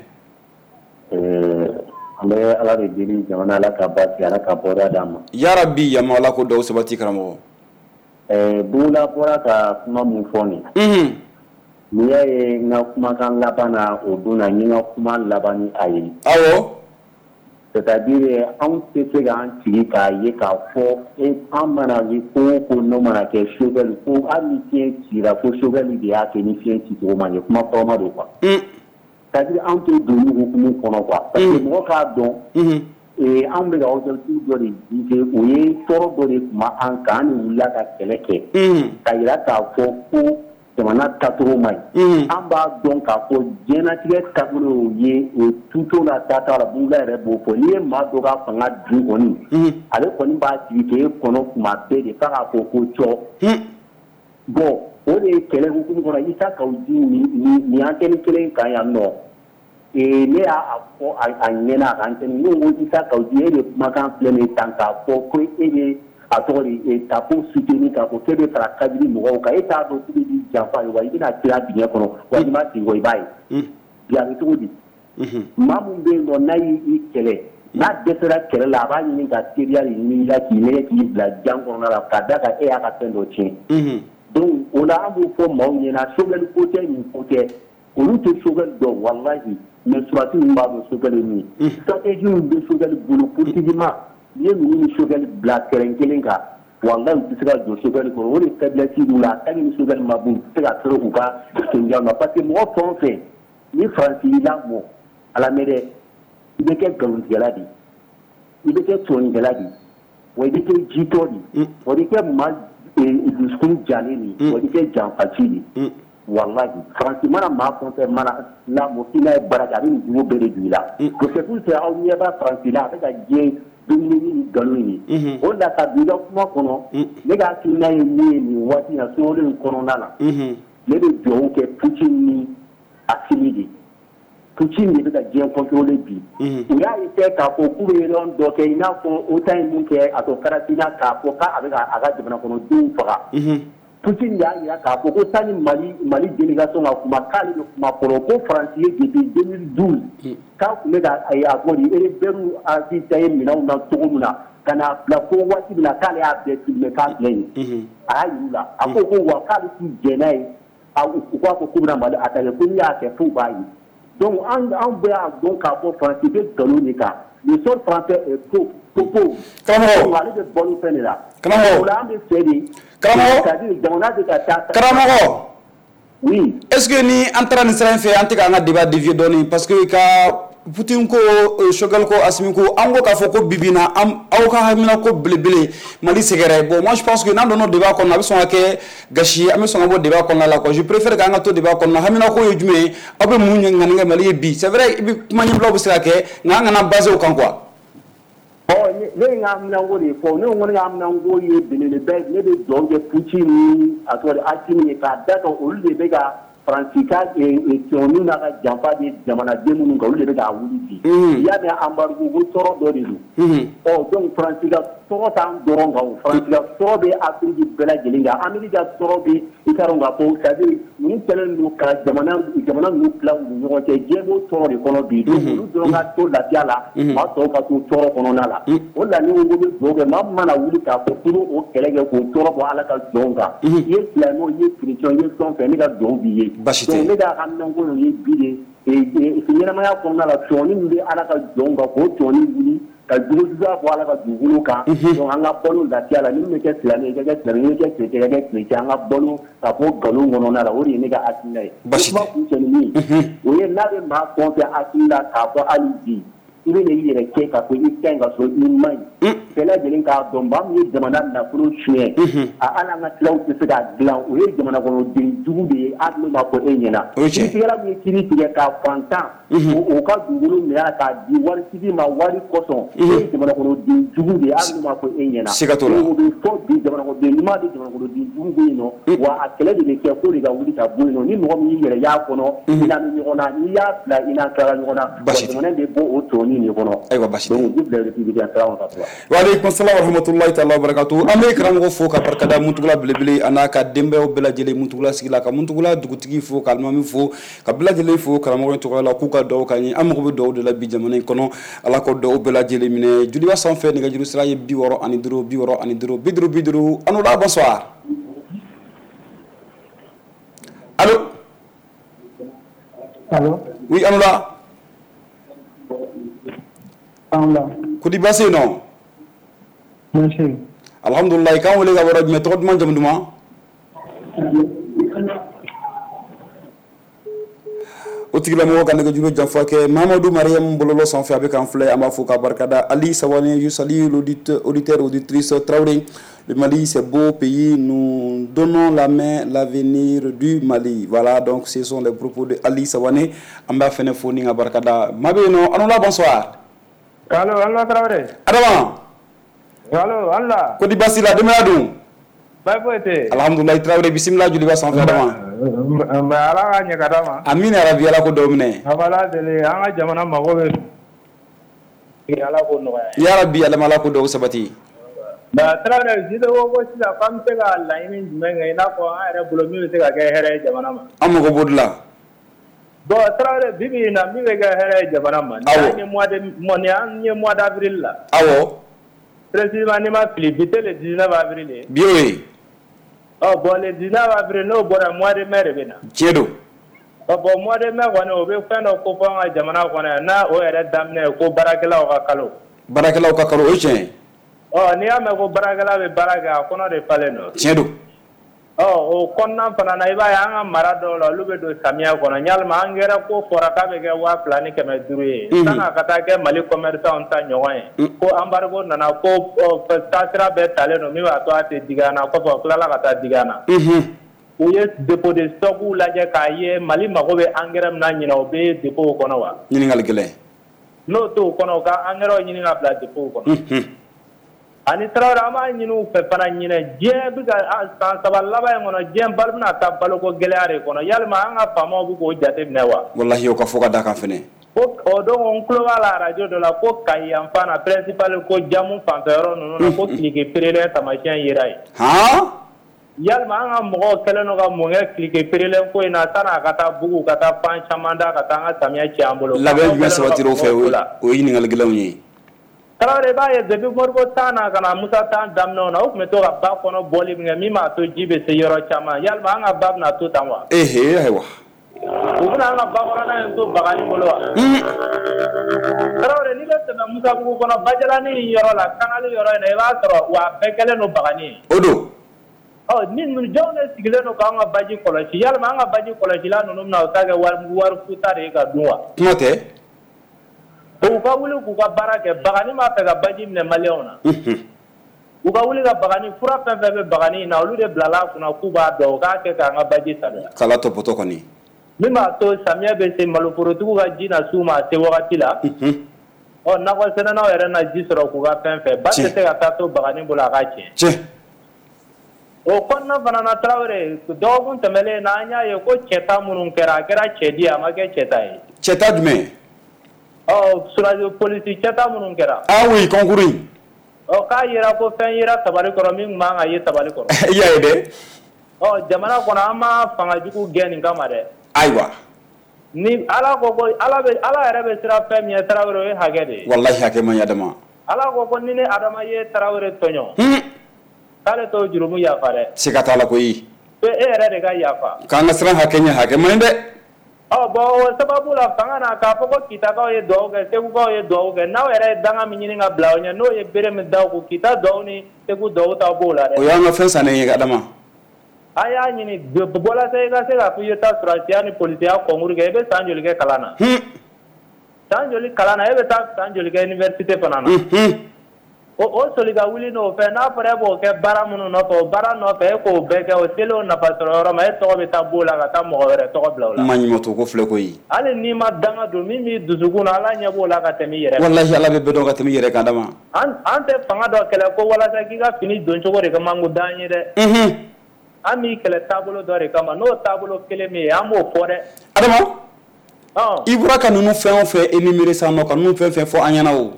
An bɛ Ala de deli jamana, Ala ka basigi, Ala ka bɔda d'an ma. Yarabi yama, Ala ko dɔw sabati karamɔgɔ. Bugula bɔra ka kuma mun fɔ nin. N'i y'a ye n ka kumakan laban na o don na, n ye n ka kuma laban ni a ye. Awɔ. C'est à dire anw tɛ se k'an sigi k'a ye k'a fɔ an mana ye ko o ko n'o mana kɛ Choguel ko hali ni fiɲɛ cira ko Choguel de y'a kɛ ni fiɲɛ cicogo ma ɲɛ, kuma kɔrɔma don quoi. C'est à dire anw tɛ don hukumu kɔnɔ quoi, parce que mɔgɔ k'a dɔn anw bɛ ka objectif dɔ de viser, o ye tɔɔrɔ dɔ de tun b'an kan, an de wulila ka kɛlɛ kɛ ka jira k'a fɔ ko jamana taacogo man ɲi. An b'a dɔn k'a fɔ diɲɛlatigɛ taabolo ye o tuto la taata la, Bugula yɛrɛ b'o fɔ, n'i ye maa dɔ ka fanga dun kɔni, ale kɔni b'a sigi k'e kɔnɔ kuma bɛɛ de f'a k'a fɔ ko cɔ. Bon o de ye kɛlɛ hukumu kɔnɔ, Isa Kawu Djim nin antenne kelen kan yan nɔ, ne y'a fɔ a ɲɛna a ka antenne, ne ko Isa Kawu Djim, e de kumakan filɛ nin ye tan k'a fɔ ko e bɛ a tɔgɔ de tapo soutenir k'a fɔ k'e bɛ fara kadiri mɔgɔw kan, e t'a dɔn k'u bɛ k'i janfa wa i bɛna tila dingɛ kɔnɔ wa i ma segin kɔ i b'a ye. Bi a bɛ cogo di? Maa min bɛ yen nɔ n'a y'i kɛlɛ, n'a dɛsɛra kɛlɛ la, a b'a ɲini ka teriya de ɲini i la k'i nɛgɛ k'i bila jan kɔnɔna la k'a d'a kan e y'a ka fɛn dɔ tiɲɛ. Donc o la an b'o fɔ maaw ɲɛna, Choguel ko tɛ, nin ko tɛ, olu tɛ Choguel dɔn walahi, mais surasi ninnu b'a dɔn Choguel ye min ye. Stratégie min bɛ Choguel bolo politiquement, n'i ye ninnu ni Choguel bila terrain kelen kan, walahi u tɛ se ka jɔ Choguel kɔrɔ, o de faiblesse b'u la, tant que ni Choguel ma bɔ u tɛ se ka fɛrɛ u ka senjanw na, parce que mɔgɔ fɛn o fɛn ni Faransi y'i lamɔ, a lamɛn dɛ, i bɛ kɛ nkalontigɛla de ye, i bɛ kɛ sɔnnikɛla de ye, wa i bɛ kɛ jitɔ de ye, wa i bɛ kɛ maa dusukun jalen de ye, wa i bɛ kɛ janfaci de ye. Walahi Faransi mana maa fɛn o fɛn mana lamɔ k'i n'a ye baara kɛ, a bɛ nin jogo bɛɛ de don i la. C'est pour ça aw ɲɛ b'a Faransi la, a bɛ ka diɲɛ dominer ni nkalon ye. O la ka don i ka kuma kɔnɔ, ne ka hakilina ye min ye nin waati in na sunkalo in kɔnɔna la, ne bɛ dugawu kɛ Poutine ni Assimi de. Poutine de bɛ ka diɲɛ contrôler bi. U y'a essayé k'a fɔ k'u bɛ réunion dɔ kɛ i n'a fɔ OTAN ye mun kɛ a tɔ Karasina k'a fɔ k'a bɛ a ka jamana kɔnɔdenw faga. Poutine y'a jira k'a fɔ ko sani Mali délégation ka kuma k'ale bɛ kuma fɔlɔ, ko Faransi ye depuis 2012 k'a tun bɛ ka a fɔ de rebelles ravitailler minɛnw na cogo min na ka n'a bila fo waati min na k'ale y'a bɛɛ filmer k'a filɛ nin ye. A y'a jira u la, a ko ko wa k'ale t'u jɛn n'a ye, u k'a fɔ k'u bɛna Mali attaquer, ko n'u y'a kɛ f'u b'a ye. Donc an bɛɛ y'a dɔn k'a fɔ Faransi bɛ nkalon de kan. Le sol français est pauvre. Karamɔgɔ. Ale bɛ balo fɛn de la. Karamɔgɔ. O la an bɛ fɛ de. Karamɔgɔ. C'est-à-dire jamana bɛ ka taa. Karamɔgɔ. Oui. Est-ce que ni an taara nin sira in fɛ, an tɛ k'an ka débat dévier dɔɔni? Parce que ka Poutine ko, Choguel ko, Assimi ko, an ko k'a fɔ ko bibi na aw ka hamina ko belebele Mali sɛgɛrɛ. Bon, moi je pense que n'an donna débat kɔnɔ, a bɛ sɔn ka kɛ gasi ye, an bɛ sɔn ka bɔ débat kɔnɔna la quoi. Je préfère k'an ka to débat kɔnɔna. Hamina ko ye jumɛn ye? Aw bɛ mun ŋaniya kɛ Mali ye bi? C'est vrai, i bɛ kuma ɲɛbilaw bɛ se ka kɛ, nka an kana baser o kan quoi. Ɔ, ne ye n ka haminanko de fɔ. Ne ko ne ka haminanko ye belebeleba ye. Ne bɛ dugawu kɛ Poutine ni a tɔgɔ di, Assimi ye, k'a da kan olu de bɛ ka Faransi ka sɔɔni n'a ka janfa bɛ jamanaden minnu kan, olu de bɛ k'a wuli bi. I y'a mɛn embargo ko tɔɔrɔ dɔ de don. Ɔ, donc Faransi ka tɔɔrɔ t'an dɔrɔn kan o, Faransi ka tɔɔrɔ bɛ Afiriki bɛɛ lajɛlen kan, Amérique ka tɔɔrɔ bɛ, i t'a dɔn k'a fɔ, c'est à dire ninnu kɛlen don ka jamana ninnu tila u ni ɲɔgɔn cɛ, diɲɛ b'o tɔɔrɔ de kɔnɔ bi. Donc olu dɔrɔn ka to lafiya la, maa tɔw ka to tɔɔrɔ kɔnɔna la. O de la ne ko n bɛ dugawu kɛ, maa min mana wuli k'a fɔ k'i bɛ o kɛlɛ kɛ k'o tɔɔrɔ bɔ Ala ka jɔnw kan, i ye silamɛ o, i ye chrétien, i ye fɛn o fɛn, ne ka dugawu b'i ye. Basi tɛ. Donc ne ka haminanko ye bi de, ɲɛnamaya kɔnɔna la, tɔɔni min bɛ Ala ka jɔnw kan, k'o tɔɔni wuli ka jugujuguya bɔ Ala ka dugukolo kan. Donc an ka balo lafiya la, ni min bɛ kɛ silamɛ ye, i ka kɛ silamɛ ye, ni bɛ kɛ chrétien, i ka kɛ chrétien, an ka balo ka bɔ nkalon kɔnɔna la, o de ye ne ka hakilina ye. Basi tɛ. Kuma kuncɛ ni min ye, o ye n'a bɛ maa fɛn o fɛn hakili la k'a fɔ hali bi i bɛ i yɛrɛ kɛ k'a fɔ i ka ɲi ka sɔrɔ i man ɲi, bɛɛ lajɛlen k'a dɔn maa min ye jamana nafolo suɲɛ, a hali an ka tilaw tɛ se k'a dilan, o ye jamana kɔnɔden jugu de ye, hali n'o ma fɔ e ɲɛna. Kiiritigɛla min ye kiiri tigɛ k'a fantan o ka dugukolo minɛ k'a di waritigi ma wari kosɔn, o ye jamana kɔnɔden jugu de ye, hali n'o ma fɔ e ɲɛna. Siga t'o la. O bɛ fɔ bi, jamana kɔnɔden ɲuman bɛ, jamana kɔnɔden jugu bɛ yen nɔ, wa a kɛlɛ de bɛ kɛ fo de ka wuli ka bɔ yen nɔ. Ni mɔgɔ min y'i yɛrɛ y'a kɔnɔ, i n'a bɛ ɲɔgɔn na, n'i y'a bila i n'a tilala ɲɔgɔn na, wa jamana bɛ bɔ o tɔɔni de kɔnɔ. Ayiwa, basi tɛ. Donc, Wa aleykum salam wa rahmatulahi taala wa barakatu. An bɛ karamɔgɔ fo ka barikada, Muntugula belebele a n'a ka denbayaw bɛɛ lajɛlen, Muntugula sigi la, ka Muntugula dugutigi fo, ka alimami fo, ka bɛɛ lajɛlen fo karamɔgɔ in tɔgɔ la, k'u ka dugawu k'an ye. An mago bɛ dugawu de la bi jamana in kɔnɔ. Ala k'o dugawu bɛɛ lajɛlen minɛ. Joliba sanfɛ, nɛgɛjuru sira ye 65 65 50 50. Anoula, bonsoir. Allo. Allo. Oui, Anoula. Anoula. Kodi baasi yen nɔ? Baasi. Alhamdulilayi. K'an wele ka bɔ yɔrɔ jumɛn? Tɔgɔ duman, jamu duman? O tigilamɔgɔ ka nɛgɛjuru janfa kɛ. Mahamadu Mariam bɔlɔlɔ sanfɛ, a bɛ k'an filɛ, an b'a fo k'a barikada. Ali Sawane, je salue l'auditeur auditrice Traoré. Le Mali, c'est beau pays, nous donnons la main, l'avenir du Mali. Voilà, donc ce sont les propos de Ali Sawane. An b'a fɛnɛ fo ni ka barikada. Maa bɛ yen nɔ, Anoula, bonsoir. Allo, Allo Traoré. Adama. Allo, Allo. Kodi baasi la, denbaya dun? Baasi foyi tɛ yen. Alhamdulilayi Traoré, bisimila Joliba sanfɛ Adama. Nba, Ala ka ɲɛ ka d'a ma. Amina yarabi, Ala ko dɔw minɛ. A b'Ala deli, an ka jamana mago bɛ, Ala k'o nɔgɔya. Yarabi Adama, Ala ko dɔw sabati. Nka Traoré, Jide ko sisan k'an bɛ se ka laɲini jumɛn kɛ, i n'a fɔ an yɛrɛ bolo min bɛ se ka kɛ hɛrɛ ye jamana ma? An mago b'o de la. Bon Traoré, bi bi in na min bɛ kɛ hɛrɛ ye jamana ma. Awɔ. Ni an ye mois d'avril la. Awɔ. Précisément, n'i ma fili, bi tɛ le 19 avril ye. Bi y'o ye. Ɔ bon, le 19 avril n'o bɔra, mois de mai de bɛ na. Tiɲɛ don. Ɔ bon, mois de mai kɔni, o bɛ fɛn dɔ ko fɔ an ka jamana kɔnɔ yan, n'a o yɛrɛ daminɛ ye ko baarakɛlaw ka kalo. Baarakɛlaw ka kalo, o ye tiɲɛ ye. Ɔ, n'i y'a mɛn ko baarakɛla bɛ baara kɛ, a kɔnɔ de falen don. Tiɲɛ don. Ɔ, o kɔnɔna fana na, i b'a ye an ka mara dɔw la, olu bɛ don samiya kɔnɔ. Yalima angɛrɛ ko fɔra k'a bɛ kɛ 2500 ye, san'a ka taa kɛ Mali commerçant ta ɲɔgɔn ye, ko embargo nana, ko taasira bɛɛ talen don min b'a to a tɛ digi an na, kɔfɛ o tilala ka taa digi an na. U ye dépôt de stock lajɛ k'a ye Mali mago bɛ angɛrɛ min na ɲinɛ, o bɛ dépôt kɔnɔ wa? Ɲininkali gɛlɛn. N'o t'o kɔnɔ, u ka angɛrɛw ɲini ka bila dépôt kɔnɔ. Ani Traoré, an b'a ɲini u fɛ fana ɲinɛ, diɲɛ bɛ ka san 3 laban in kɔnɔ, diɲɛ balo bɛna taa baloko gɛlɛya de kɔnɔ. Yalima an ka faamaw bɛ k'o jate minɛ wa? Walahi, o ka fɔ ka da kan fɛnɛ. Ko o don, n tulo b'a la radio dɔ la ko Kayi yanfan na, principal ko jamu fanfɛ yɔrɔ ninnu na, ko Kilike perelen taamasiyɛn yera yen. Yalima an ka mɔgɔw kɛlen don ka mun kɛ Kilike perelen ko in na, san'a ka taa bugu ka taa fan caman da ka taa an ka samiya ci an bolo? Labɛn jumɛn sabatira o fɛ? O ye ɲininkali gɛlɛnw ye. Traoré, i b'a ye depuis Modibo tan na ka na Musa tan daminɛw na, o tun bɛ to ka ba kɔnɔ bɔli min kɛ min b'a to ji bɛ se yɔrɔ caman. Yalima an ka ba bɛna to tan wa? Ehe, ayiwa. U bɛna an ka bakɔrɔnna in to bagani bolo wa? Tarawele, n'i bɛ tɛmɛ Musabugu kɔnɔ, Bajalani yɔrɔ la, Kanali yɔrɔ in na, i b'a sɔrɔ wa a bɛɛ kɛlen don bagani ye. O don. Ɔ, ni jɔnw de sigilen don k'an ka baji kɔlɔsi? Yalima an ka baji kɔlɔsila ninnu bɛna o ta kɛ wari futa de ye ka dun wa? Kuma tɛ. U ka wuli k'u ka baara kɛ. Bagani b'a fɛ ka baji minɛ maliyɛnw na. U ka wuli ka bagani fura fɛn fɛn bɛ bagani in na, olu de bilala a kunna k'u b'a dɔn, u k'a kɛ k'an ka baji saniya. Kala tɔpɔtɔ kɔni. Min b'a to samiyɛ bɛ se, maloforotigiw ka ji na s'u ma a se wagati la. Ɔ, nakɔ sɛnɛnaw yɛrɛ na ji sɔrɔ k'u ka fɛn fɛ. Ba tɛ se ka taa to bagani bolo a ka tiɲɛ. Tiɲɛ. O kɔnɔna fana na, Tarawele, dɔgɔkun tɛmɛnen na, an y'a ye ko cɛta minnu kɛra, a kɛra cɛdi, a ma kɛ cɛta ye. Cɛta jumɛn? Ɔ, surasi polisi cɛta minnu kɛra. Ah oui, concours in. Ɔ, k'a yera ko fɛn yera tabali kɔrɔ min tun man ka ye tabali kɔrɔ. I y'a ye dɛ. Ɔ, jamana kɔnɔ, an ma fanga jugu gɛn nin kama dɛ. Ayiwa. Ni Ala ko ko Ala bɛ, Ala yɛrɛ bɛ siran fɛn min ye, Tarawele, o ye hakɛ de ye. Walahi, hakɛ man ɲi Adama. Ala ko ko ni ne Adama ye Tarawele tɔɲɔ, k'ale t'o jurumu yafa dɛ. Siga t'a la koyi. E yɛrɛ de ka yafa. K'an ka siran hakɛ ɲɛ, hakɛ man ɲi dɛ. Ɔ bon, o sababu la, fanga na k'a fɔ ko Kitakaw ye dugawu kɛ, Segukaw ye dugawu kɛ, n'aw yɛrɛ ye danga min ɲini ka bila aw ɲɛ, n'o ye bere min da kun, Kita dugawu ni Segu dugawu t'aw b'o la dɛ. O y'an ka fɛn sannen ye, Adama. A y'a ɲini walasa i ka se k'a fɔ i ye taa sɔrɔdasiya ni polisiya concours kɛ, i bɛ san joli kɛ kalan na? San joli kalan na, e bɛ taa san joli kɛ université fana na? O soli ka wuli n'o fɛ, n'a fɔra e b'o kɛ baara minnu nɔfɛ, o baara nɔfɛ, e k'o bɛɛ kɛ, o selen o nafa sɔrɔ yɔrɔ ma, e tɔgɔ bɛ taa b'o la ka taa mɔgɔ wɛrɛ tɔgɔ bila o la. Ma ɲuman ko filɛ koyi. Hali n'i ma danga don, min b'i dusukun na, Ala ɲɛ b'o la ka tɛmɛ i yɛrɛ kan. Walahi, Ala bɛ bɛɛ dɔn ka tɛmɛ i yɛrɛ kan, Adama. An tɛ fanga dɔ kɛlɛ ko walasa k'i ka fini don cogo de ka mango d'an ye dɛ. An b'i kɛlɛ taabolo dɔ de kama, n'o taabolo kelen min ye, an b'o fɔ dɛ. Adama, i bɔra ka ninnu fɛn o fɛn énumérer sisan nɔ, ka ninnu fɛn fɛn fɔ an ɲɛna o.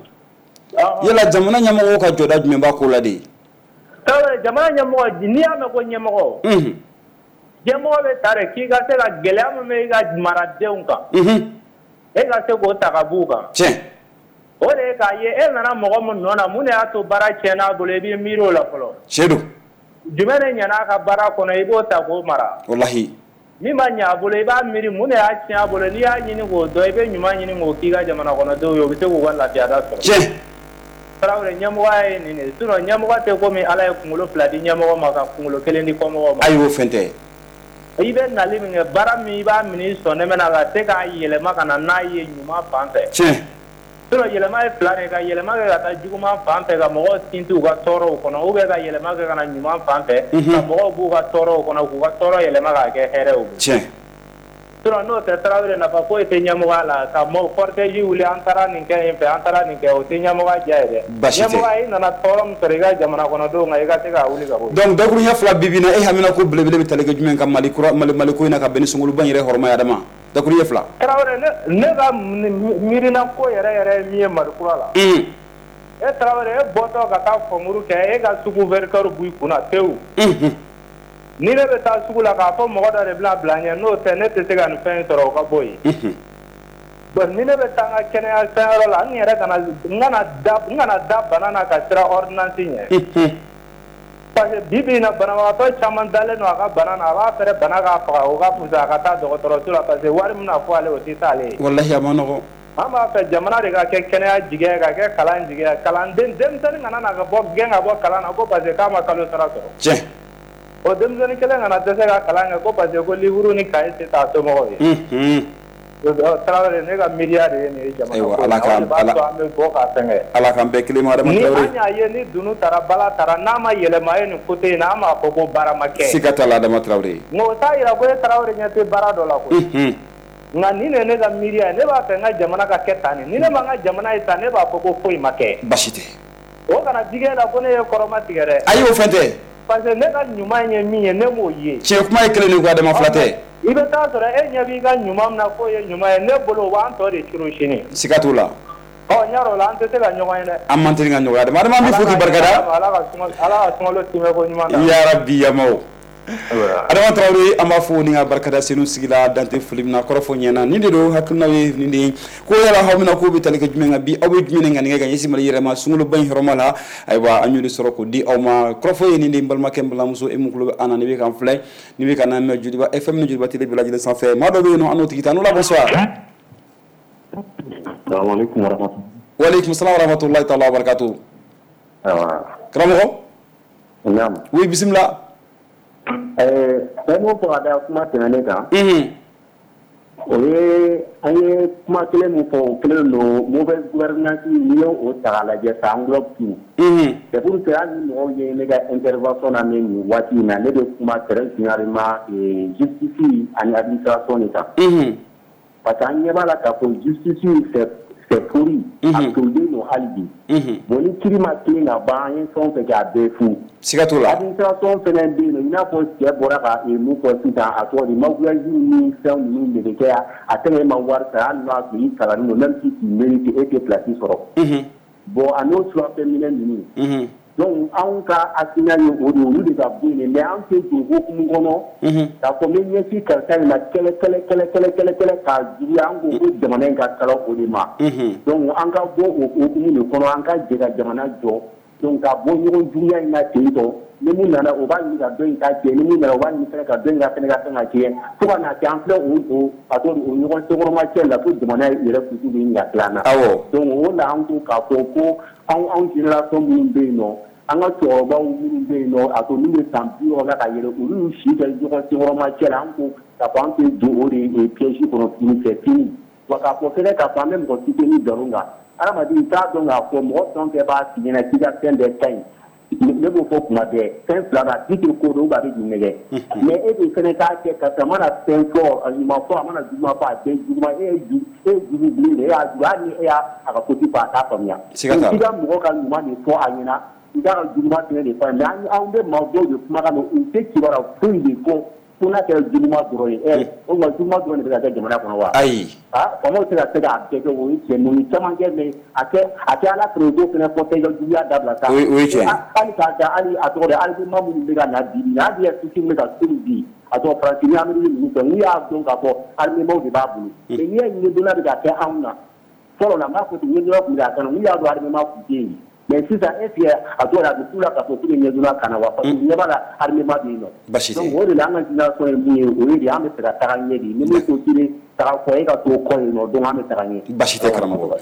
Yala jamana ɲɛmɔgɔw ka jɔda jumɛn b'a ko la de? Jamana ɲɛmɔgɔ, n'i y'a mɛn ko ɲɛmɔgɔ, ɲɛmɔgɔ bɛ ta de k'i ka se ka gɛlɛya min bɛ i ka maradenw kan, e ka se k'o ta ka b'u kan. Tiɲɛ. O de ye k'a ye e nana mɔgɔ min nɔ na, mun de y'a to baara tiɲɛna a bolo, i b'i miiri o la fɔlɔ. Tiɲɛ don. Jumɛn de ɲɛna a ka baara kɔnɔ, i b'o ta k'o mara. Walahi. Min ma ɲɛ a bolo, i b'a miiri mun de y'a tiɲɛ a bolo, n'i y'a ɲini k'o dɔn, i bɛ ɲuman ɲini k'o k'i ka jamana kɔnɔdenw ye, u bɛ se k'u ka lafiyada sɔrɔ. Tiɲɛ. Tarawele, ɲɛmɔgɔya ye nin de ye, sinon ɲɛmɔgɔ tɛ komi Ala ye kunkolo fila di ɲɛmɔgɔ ma ka kunkolo kelen di kɔmɔgɔw ma. Ayi, o fɛn tɛ. I bɛ nali min kɛ, baara min i b'a minɛ i sɔn na ka se k'a yɛlɛma ka na n'a ye ɲuman fan fɛ. Tiɲɛ. Sinon yɛlɛma ye fila de ye, ka yɛlɛma kɛ ka taa juguman fan fɛ ka mɔgɔw sinsin u ka tɔɔrɔw kɔnɔ, ou bien ka yɛlɛma kɛ ka na ɲuman fan fɛ, ka mɔgɔw b'u ka tɔɔrɔw kɔnɔ, k'u ka tɔɔrɔ yɛlɛma k'a kɛ hɛrɛ ye u bolo. Tiɲɛ. Sinon n'o tɛ, Tarawele, nafa foyi tɛ ɲɛmɔgɔya la ka cortège wuli, an taara nin kɛ yen fɛ, an taara nin kɛ, o tɛ ɲɛmɔgɔya diya ye dɛ. Basi tɛ. Ɲɛmɔgɔya, i nana tɔɔrɔ min sɔrɔ i ka jamana kɔnɔdenw kan, i ka se k'a wuli ka bɔ yen. Donc dakuruɲɛ fila bi bi in na, e hamina ko belebele bɛ tali kɛ jumɛn kan Mali kura, Mali ko in na, ka bɛn ni sunkaloba in yɛrɛ hɔrɔma ye, Adama? Dakuruɲɛ fila. Tarawele, ne ka miirina ko yɛrɛ yɛrɛ ye min ye Mali kura la. E Tarawele, e bɔtɔ ka taa concours kɛ, e ka sugu verkɛr b'i kunna tewu. Ni ne bɛ taa sugu la k'a fɔ mɔgɔ dɔ de bɛna bila n ɲɛ, n'o tɛ ne tɛ se ka nin fɛn in sɔrɔ, o ka bɔ yen. Bon, ni ne bɛ taa n ka kɛnɛya fɛnyɔrɔ la, n yɛrɛ kana n kana da bana na ka siran ordonnance ɲɛ. Parce que bi bi in na, banabagatɔ caman dalen don a ka bana na, a b'a fɛrɛ bana k'a faga, o ka fisa a ka taa dɔgɔtɔrɔso la, parce que wari min bɛna fɔ ale, o tɛ s'ale ye. Walahi, a ma nɔgɔn. An b'a fɛ jamana de ka kɛ kɛnɛya jigɛ, ka kɛ kalan jigɛ, kalanden denmisɛnnin kana na ka bɔ gɛn ka bɔ kalan na ko parce que k'a ma kalo sara sɔrɔ. Tiɲɛ. O denmisɛnnin kelen kana dɛsɛ ka kalan kɛ ko parce que ko livre ni cahier tɛ taa somɔgɔw ye. Tarawele, ne ka miiriya de ye nin ye jamana ko la. Ayiwa, Ala k'an bɛ bɔ k'a fɛngɛ. Ala k'an bɛɛ kelen ma, Adama Tarawele. Ni an y'a ye ni dunu taara, bala taara, n'a ma yɛlɛma ye nin côté in na, an b'a fɔ ko baara ma kɛ. Siga t'a la, Adama Tarawele. Nka o t'a yira ko e Tarawele ɲɛ tɛ baara dɔ la koyi. Nka nin de ye ne ka miiriya ye, ne b'a fɛ n ka jamana ka kɛ tan de, ni ne ma n ka jamana ye tan, ne b'a fɔ ko foyi ma kɛ. Basi tɛ. O kana digi e la ko ne ye kɔrɔma tigɛ dɛ. Ayi, o fɛn tɛ. Parce que ne ka ɲuman ye min ye, ne m'o ye. Tiɲɛ kuma ye kelen de ko, Adama, fila tɛ. I bɛ taa sɔrɔ e ɲɛ b'i ka ɲuman min na k'o ye ɲuman ye, ne bolo o b'an tɔ de curu sini. Siga t'o la. Ɔ, n y'a dɔn o la an tɛ se ka ɲɔgɔn ye dɛ. An man teli ka ɲɔgɔn ye, Adama. Adama, an b'i fo k'i barikada. Ala ka sunkalo timɛ ko ɲuman d'an ma. Ya Rabbi, yamaw. Adama Traoré, an b'a fo ni ka barikada Senu sigi la dante foli min na, kɔrɔfɔ ɲɛna nin de don. Hakilinaw ye nin de ye ko yala aw bɛna k'o bɛ tali kɛ jumɛn kan bi? Aw bɛ jumɛn de ŋaniya ka ɲɛsin Mali yɛrɛ ma sunkaloba in hɔrɔma la? Ayiwa, an y'o de sɔrɔ k'o di aw ma. Kɔrɔfɔ ye nin de ye. N balimakɛ, n balimamuso, e mun tulo bɛ an na, ni bɛ k'an filɛ, ni bɛ ka n'an mɛn Joliba FM ni Joliba Télé bɛɛ lajɛlen sanfɛ, maa dɔ bɛ yen nɔ, an n'o tigi ta. N'o la, bonsoir. Salaamaaleykum wa rahmatulah. Waaleykum salaam wa rahmatulahi taala wa barakatuh. Awa. Karamɔgɔ. Naam. Oui, bisimila. Fɛn min fɔ ka da kuma tɛmɛnen kan, o ye an ye kuma kelen min fɔ, o kelen don. Mauvaise gouvernance, n'i y'o o ta k'a lajɛ, ça englobe tout. C'est pour que hali ni mɔgɔw ye ne ka intervention lamɛn nin waati in na, ne bɛ kuma très généralement justice ani administration de kan. Parce que an ɲɛ b'a la k'a fɔ justice, c'est pourri, a tolilen don hali bi. Bon, ni kiiri ma tilen ka ban, an ye fɛn o fɛn kɛ, a bɛɛ fu. Siga t'o la. Administration fɛnɛ bɛ yen nɔ, i n'a fɔ cɛ bɔra ka mun fɔ sisan, a tɔgɔ di, magouillage ni fɛn ninnu de bɛ kɛ. A tɛna e ma wari sara, hali n'o y'a sɔrɔ i kalannen don, même si tu mérites, e tɛ place sɔrɔ. Bon, a n'o surafɛn minɛ ninnu. Donc anw ka hakilina ye o de ye, olu de ka bɔ yen. Mais an tɛ don hokumu kɔnɔ k'a fɔ n bɛ ɲɛsin karisa in ma kɛlɛ kɛlɛ kɛlɛ kɛlɛ kɛlɛ kɛlɛ k'a juguya. An ko ko jamana in ka kala o de ma. Donc an ka bɔ o hokumu de kɔnɔ, an ka jɛ ka jamana jɔ. Donc ka bɔ ɲɔgɔn juguya in na ten tɔ, ni mun nana, o b'a ɲini ka dɔ in ta tiɲɛ, ni mun nana, o b'a ɲini fɛnɛ ka dɔ in ka fɛnɛ ka fɛn ka tiɲɛ, fo ka n'a kɛ an filɛ o a tɔgɔ di, o ɲɔgɔn senkɔrɔma cɛ la, fo jamana yɛrɛ kutu bɛ ɲini ka tila an na. Donc o la, an ko k'a fɔ ko anw génération minnu bɛ yen nɔ, an ka cɛkɔrɔbaw minnu bɛ yen nɔ, a to n'u bɛ san 60 la ka yɛlɛ, olu y'u si kɛ ɲɔgɔn senkɔrɔma cɛ la. An ko k'a fɔ an tɛ don o de piège kɔnɔ tuguni, c'est fini. Wa k'a fɔ fɛnɛ k'a fɔ an bɛ mɔgɔ soutenir nkalon kan, hadamaden, i t'a dɔn k'a fɔ mɔgɔ fɛn o fɛn b'a f'i ɲɛna k'i ka fɛn bɛɛ ka ɲi, ne b'o fɔ kuma bɛɛ, fɛn fila don: a tigi tɛ ko dɔn, a bɛ k'i nɛgɛ. Mais e de fɛnɛ k'a kɛ karisa mana fɛn fɔ, a ɲuman fɔ, a mana juguman fɔ, a bɛɛ juguman. E ye jugu bilen de, e y'a jugu, hali ni e y'a a ka côté fɔ, a t'a faamuya. Siga t'a la. I ka mɔgɔ ka ɲuman de fɔ a ɲɛna, i k'a ka juguman fɛnɛ de fɔ a ɲɛna. Mais anw bɛ maa dɔw de kumakan mɛn, u tɛ kibaruya foyi de fɔ fo n'a kɛra juguman dɔrɔn ye. Ɛ, o tuma juguman dɔrɔn de bɛ ka kɛ jamana kɔnɔ wa? Ayi. Ah, faamaw tɛ ka se k'a bɛɛ kɛ, o ye tiɲɛ, mais o ye caman kɛ, mais a kɛ ala fɛ, o t'o fɛnɛ fɔ k'e ka juguya dabila sa. O ye tiɲɛ ye. Hali k'a da hali a tɔgɔ de, armement minnu bɛ ka na bi bi in na, hali souci min bɛ ka to bi, a tɔgɔ, Faransi ni Amérique ninnu fɛ, n'u y'a dɔn k'a fɔ armement de b'a bolo. Mais n'i y'a ye ɲɛdonna bɛ ka kɛ anw na, fɔlɔ la, n b'a fɔ ten, ɲɛdonna tun bɛ ka kɛ an na, n'u y'a dɔn armement tun tɛ yen. Mais sisan, est ce que a tɔgɔ de, a bɛ k'u la k'a fɔ k'u bɛ ɲɛdonna kana wa? Parce que u ɲɛ b'a la armement bɛ yen nɔ. Basi tɛ. Donc o de la, an ka génération ye mun ye, o ye de an bɛ fɛ ka taga ɲɛ de. Ni min ko k'i bɛ taga kɔ, e ka t'o kɔ yen nɔ, donc an bɛ taga ɲɛ. Basi tɛ, karamɔgɔ.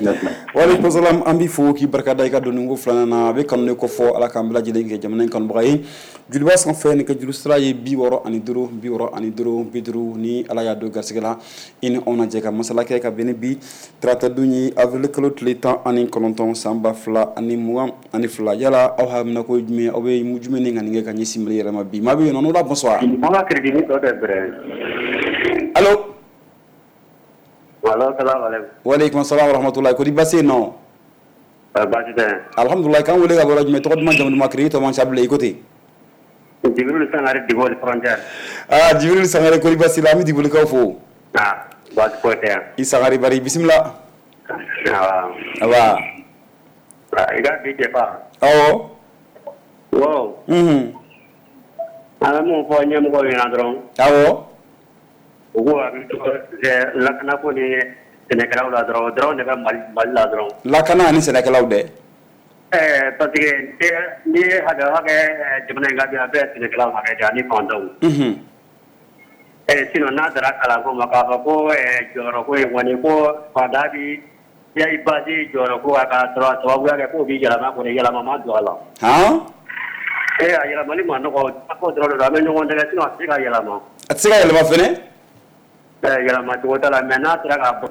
Waaleykum salam. An b'i fo k'i barika da i ka donni ko filanan na. A bɛ kanu de ko fɔ, Ala k'an bɛɛ lajɛlen kɛ jamana in kanubaga ye. Joliba sanfɛ, nin ka juru sira ye 65 65 50. Ni Ala y'a don garisɛgɛ la, i ni anw na jɛ ka masala kɛ ka bɛn ni bi tarata don ye, avril kalo tile 19, san 2022. Yala aw hamina ko ye jumɛn ye? Aw bɛ jumɛn ni ŋaniya kɛ ka ɲɛsin Mali yɛrɛ ma bi? Maa bɛ yen nɔ, n'o la, bonsoir. An ka crédit tɔ tɛ bɛrɛ. Allo. Allo, salam alaikum. Waaleykum salam wa rahmatulah. Kori baasi yen nɔ? Baasi tɛ. Alhamdulilah. K'an wele ka bɔ jumɛn? Tɔgɔ duman, jamu duman, crédit tɔ man ca bilen, i ko ten. Jibril Sangare, Diboli frontière. Ah, Jibril Sangare, kori baasi la? An bɛ Dibolikaw fo. Ah, baasi foyi tɛ yan. I Sangare bari, bisimila. Awɔ. Aba. I ka bi débat. Awɔ. Wow. An bɛ mun fɔ ɲɛmɔgɔw ɲɛna dɔrɔn? Awɔ. U k'u hakili to lakanako ni sɛnɛkɛlaw la dɔrɔn, o dɔrɔn de bɛ Mali la dɔrɔn. Lakana ani sɛnɛkɛlaw dɛ. Ɛɛ, parce que n'i ye hakɛ hakɛ jamana in ka bi, a bɛɛ ye sɛnɛkɛlaw hakɛ de ani fantanw. Ɛɛ, sinon n'a dara kalanko ma, k'a fɔ ko jɔyɔrɔko in kɔni, ko fantan bi i base jɔyɔrɔko kan k'a sɔrɔ a sababuya kɛ k'o b'i yɛlɛma kɔni, yɛlɛma ma don a la. Han. Ee, a yɛlɛmali ma nɔgɔ ko dɔrɔn de don, an bɛ ɲɔgɔn dɛmɛ, sinon a tɛ se ka yɛlɛma. A tɛ se ka yɛlɛma fɛnɛ? Ɛɛ, yɛlɛma cogo t'a la, mais n'a sera ka bɔ.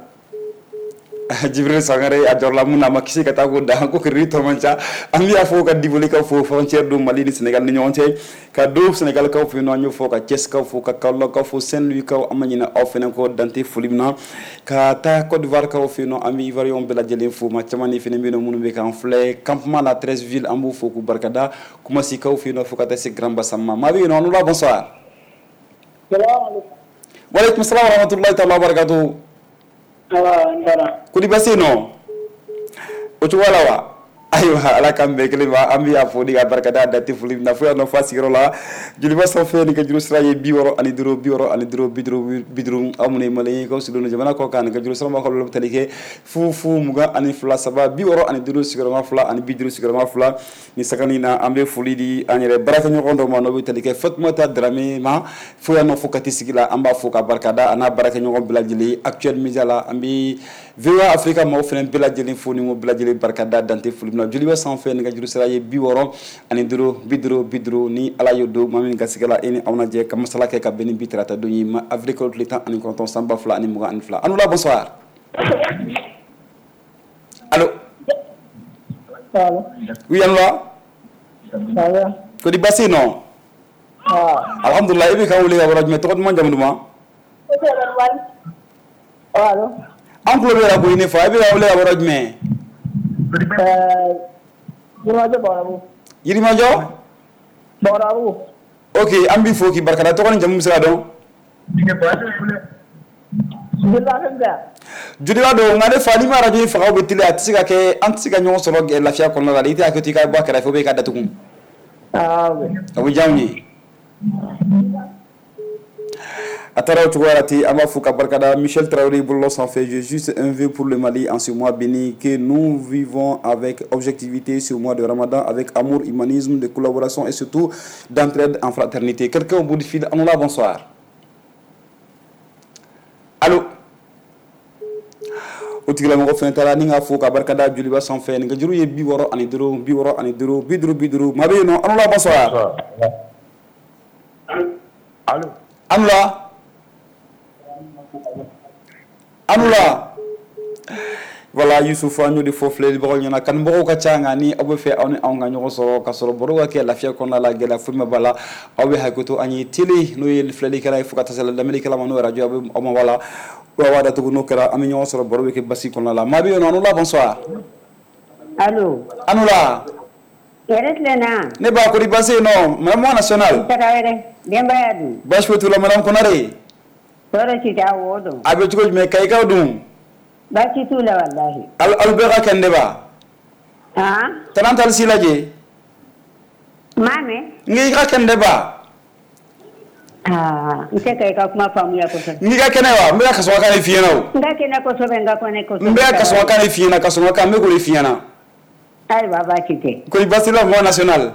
Jibril Sangare, a jɔrɔla mun na, a ma kisi ka taa ko da ko crédit tɔ man ca. An bɛ y'a fɔ ka Dibolikaw fo, frontière don Mali ni Sénégal ni ɲɔgɔn cɛ, ka don Sénégalkaw fɛ yen nɔ, an y'o fɔ, ka Thiès-kaw fo, ka Kaolack fo, Saint-Louis kaw, an ma ɲinɛ aw fɛnɛ kɔ dante foli min na, ka taa Côte d'Ivoire kaw fɛ yen nɔ, an bɛ Ivoirien bɛɛ lajɛlen fo. Maa caman de fɛnɛ bɛ yen nɔ minnu bɛ k'an filɛ campement la 13 ville, an b'u fo k'u barikada, Koumassi-kaw fɛ yen nɔ, fo ka taa se Grand Bassam ma. Maa bɛ yen nɔ, an la, bonsoir. Waaleykum salam wa rahmatullahi taala wa barakatuh. Kodi baasi yen nɔ? O cogoya la wa? Ayiwa, Ala k'an bɛɛ kelen ma. An bɛ y'a fo ni ka barikada a date foli min na fo yan nɔ f'a sigiyɔrɔ la Joliba sanfɛ. Ni ka juru sira ye 65 65 50 50. Aw minnu ye malien ye k'aw sigilen don jamana kɔ kan, ni ka juru sira b'aw ka bɛ tali kɛ 0 0 22 3 65 2 ani 50 2. Ni sagani na, an bɛ foli di an yɛrɛ baarakɛɲɔgɔn dɔ ma, n'o bɛ tali kɛ Fatumata Darame ma fo yan nɔ fo Kati sigi la. An b'a fo ka barikada a n'a baarakɛɲɔgɔn bɛɛ lajɛlen Actuel Media la. An bɛ VOA Afrique maaw fana bɛɛ lajɛlen fo ni ko bɛɛ lajɛlen barikada dante foli min na. Joliba sanfɛ, ni ka juru sira ye 65 50 50. Ni Ala y'o don maa min garisɛgɛ la, e ni aw na jɛ ka masala kɛ ka bɛn ni bi tarata don ye, ma avril kalo tile 19 san 2022. Anoula, bonsoir. Allo? Allo? Oui, Anoula. Ça va? Kodi basi non? Ah. Alhamdulillah. I bɛ k'an wele ka bɔ jumɛn? Tɔgɔ duman, jamu duman? Allo? An tulo bɛ la koyi ne fa. I bɛ k'an wele ka bɔ jumɛn? Yirimajɔ Bawarabu. Yirimajɔ? Bawarabu. Ok, an b'i fo k'i barikada. Tɔgɔ ni jamu bɛ se ka dɔn? Joliba fɛn tɛ. Joliba don, nka ne fa, n'i ma radio in faga ou bɛ télé, a tɛ se ka kɛ, an tɛ se ka ɲɔgɔn sɔrɔ lafiya kɔnɔna la. I tɛ hakɛ to i ka bɔ a kɛrɛfɛ ou bien i ka datugu. Ah, ok. O bɛ diya anw ye. A taara o cogoya la ten. An b'a fo ka barikada. Michel Traoré bɔlɔlɔ sanfɛ: j'ai juste un vœu pour le Mali en ce mois béni, que nous vivons avec objectivité ce mois de Ramadan, avec amour, humanisme, de collaboration et surtout d'entraide en fraternité. Quelqu'un au bout du fil. Anoula, bonsoir. Allo? O tigilamɔgɔ fɛnɛ taara. Ni ka fo ka barikada Joliba sanfɛ, nin ka juru ye 65 65 50 50. Maa bɛ yen nɔ. Anoula, bonsoir. Allo? Anoula, Anoula. Voilà, Youssouf, an y'o de fɔ filɛlibagaw ɲɛna, kanubagaw ka ca, nka ni aw bɛ fɛ aw ni anw ka ɲɔgɔn sɔrɔ ka sɔrɔ baro ka kɛ lafiya kɔnɔna la, gɛlɛya foyi ma b'a la, aw bɛ hakɛ an ye télé n'o ye filɛlikɛla ye, fo ka taa se lamɛnnikɛla ma n'o ye radio, aw bɛ aw ma b'a la, aw b'a datugu. N'o kɛra, an bɛ ɲɔgɔn sɔrɔ, baro bɛ kɛ basi kɔnɔna la. Maa bɛ yen nɔ. Anoula, bonsoir. Allo? Anoula. Yɛrɛ tilenna? Ne ba, kori basi yen nɔ, madame nationale? Tarawele, denbaya dun? Baasi foyi t'u la, madame Konare. Tɔɔrɔ si tɛ wo don. A bɛ cogo jumɛn, Kayikaw dun? Baasi t'u la walahi. Aw bɛɛ ka kɛnɛ ba? Han? Tana tali si lajɛ. Maa mɛn? N k'i ka kɛnɛ ba. Aa, n tɛ ka i ka kuma faamuya kosɛbɛ. N k'i ka kɛnɛ wa? N bɛ ka kasɔrɔ kan de f'i ɲɛna o. N ka kɛnɛ kosɛbɛ, n ka kɛnɛ kosɛbɛ. N bɛ ka kasɔrɔ kan de f'i ɲɛna, kasɔrɔ kan, n bɛ k'o de f'i ɲɛna. Ayiwa, baasi tɛ. Kori basi la, mɔgɔ national?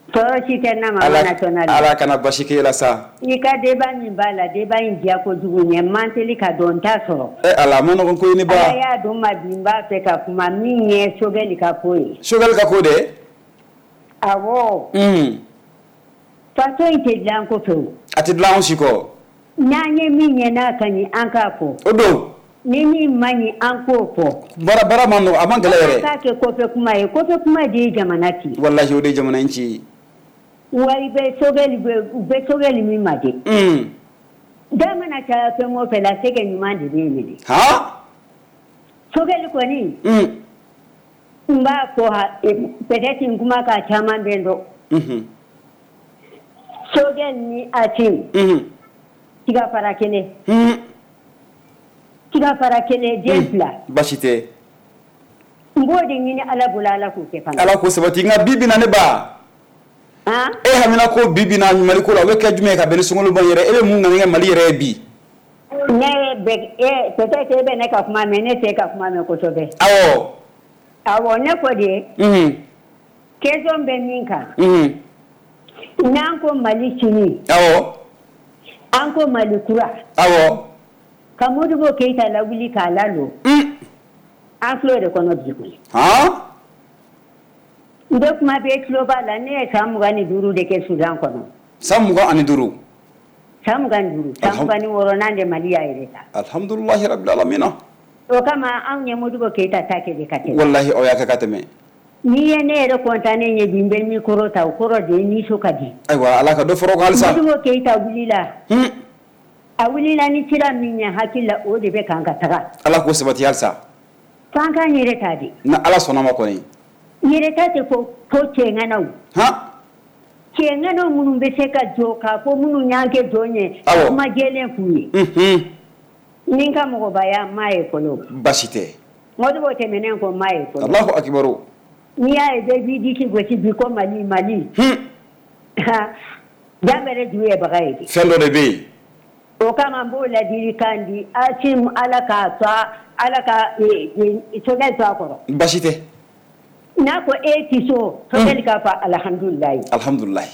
Tɔɔrɔ si tɛ n na, mama national. Ala kana basi k'e la sa. I ka débat min b'a la, débat in diya kojugu ɲɛ man teli ka dɔn, n t'a sɔrɔ. Ɛ Ala, a ma nɔgɔn ko ye ne ba. Ala y'a dɔn ma bi, n b'a fɛ ka kuma min ye Choguel ka ko ye. Choguel ka ko dɛ? Awɔ. Faso in tɛ dilan kɔfɛ o. A tɛ dilan anw si kɔ. N'an ye min ye n'a ka ɲi, an k'a fɔ. O don. Ni min man ɲi, an k'o fɔ. Baara baara ma nɔgɔn, a man gɛlɛn yɛrɛ. An k'a kɛ kɔfɛ kuma ye, kɔfɛ kuma de ye jamana ci. Walahi, o de ye jamana in ci. Wa i bɛ Choguel bɛ u bɛ Choguel min ma de. Da mana caya fɛn o fɛn la, sɛgɛ ɲuman de bɛ minɛ. Han? Choguel kɔni. N b'a fɔ ha, peut-être n kuma ka caman bɛ n dɔn. Choguel ni Assimi. Tiga fara kelen. Tiga fara kelen, den fila. Baasi tɛ. N b'o de ɲini Ala bolo, Ala k'o kɛ fana. Ala k'o sabati, nka bi bi na ne ba. E hamina ko bi bi na Mali ko la, o bɛ kɛ jumɛn ye ka bɛn ni sunkaloba in yɛrɛ? E bɛ mun ŋaniya Mali yɛrɛ ye bi? Ne bɛ e peut-être e bɛ ne ka kuma mɛn, ne tɛ ka kuma mɛn kosɛbɛ. Awɔ. Awɔ, ne ko de. Question bɛ min kan. N'an ko Mali sini. Awɔ. An ko Mali kura. Awɔ. Ka Modibo Keyita lawuli k'a lalɔ. An filɛ o de kɔnɔ bi koyi. Han? N bɛ kuma bɛɛ tulo b'a la, ne ye san 25 de kɛ Sudan kɔnɔ. San 25? San 25, san 26nan de Mali y'a yɛrɛ ta. Alhamdulilahi rabbil alamina. O kama anw ye Modibo Keyita ta kɛ de ka tɛmɛ. Walahi, aw y'a kɛ ka tɛmɛ. N'i ye ne yɛrɛ kɔntannen ye bi, n bɛ micro ta, o kɔrɔ de ye nisɔn ka di. Ayiwa, Ala ka dɔ fara o kan halisa. Modibo Keyita wulila. A wulila ni sira min ye, hakili la o de bɛ kan ka taga. Ala k'o sabati halisa. F'an k'an yɛrɛ ta de. Ni Ala sɔnna ma kɔni. Yɛrɛ ta tɛ ko cɛŋanaw. Cɛŋanaw minnu bɛ se ka jɔ k'a fɔ minnu y'an kɛ jɔn ye. Awɔ. Kuma jɛlen f'u ye. Ni n ka mɔgɔbaya m'a ye fɔlɔ. Baasi tɛ. Modibo tɛmɛnen kɔ, m'a ye fɔlɔ. Alahu akibaru. N'i y'a ye bɛɛ b'i disi gosi bi ko Mali Mali. Jan bɛrɛ ju ye baga ye. Fɛn dɔ de bɛ yen. O kama n b'o ladilikan di Asim Ala k'a to Ala ka Sogɛl to a kɔrɔ. Baasi tɛ. N'a ko e tɛ so. Sogɛl k'a fɔ alihamudulilayi. Alihamudulilayi.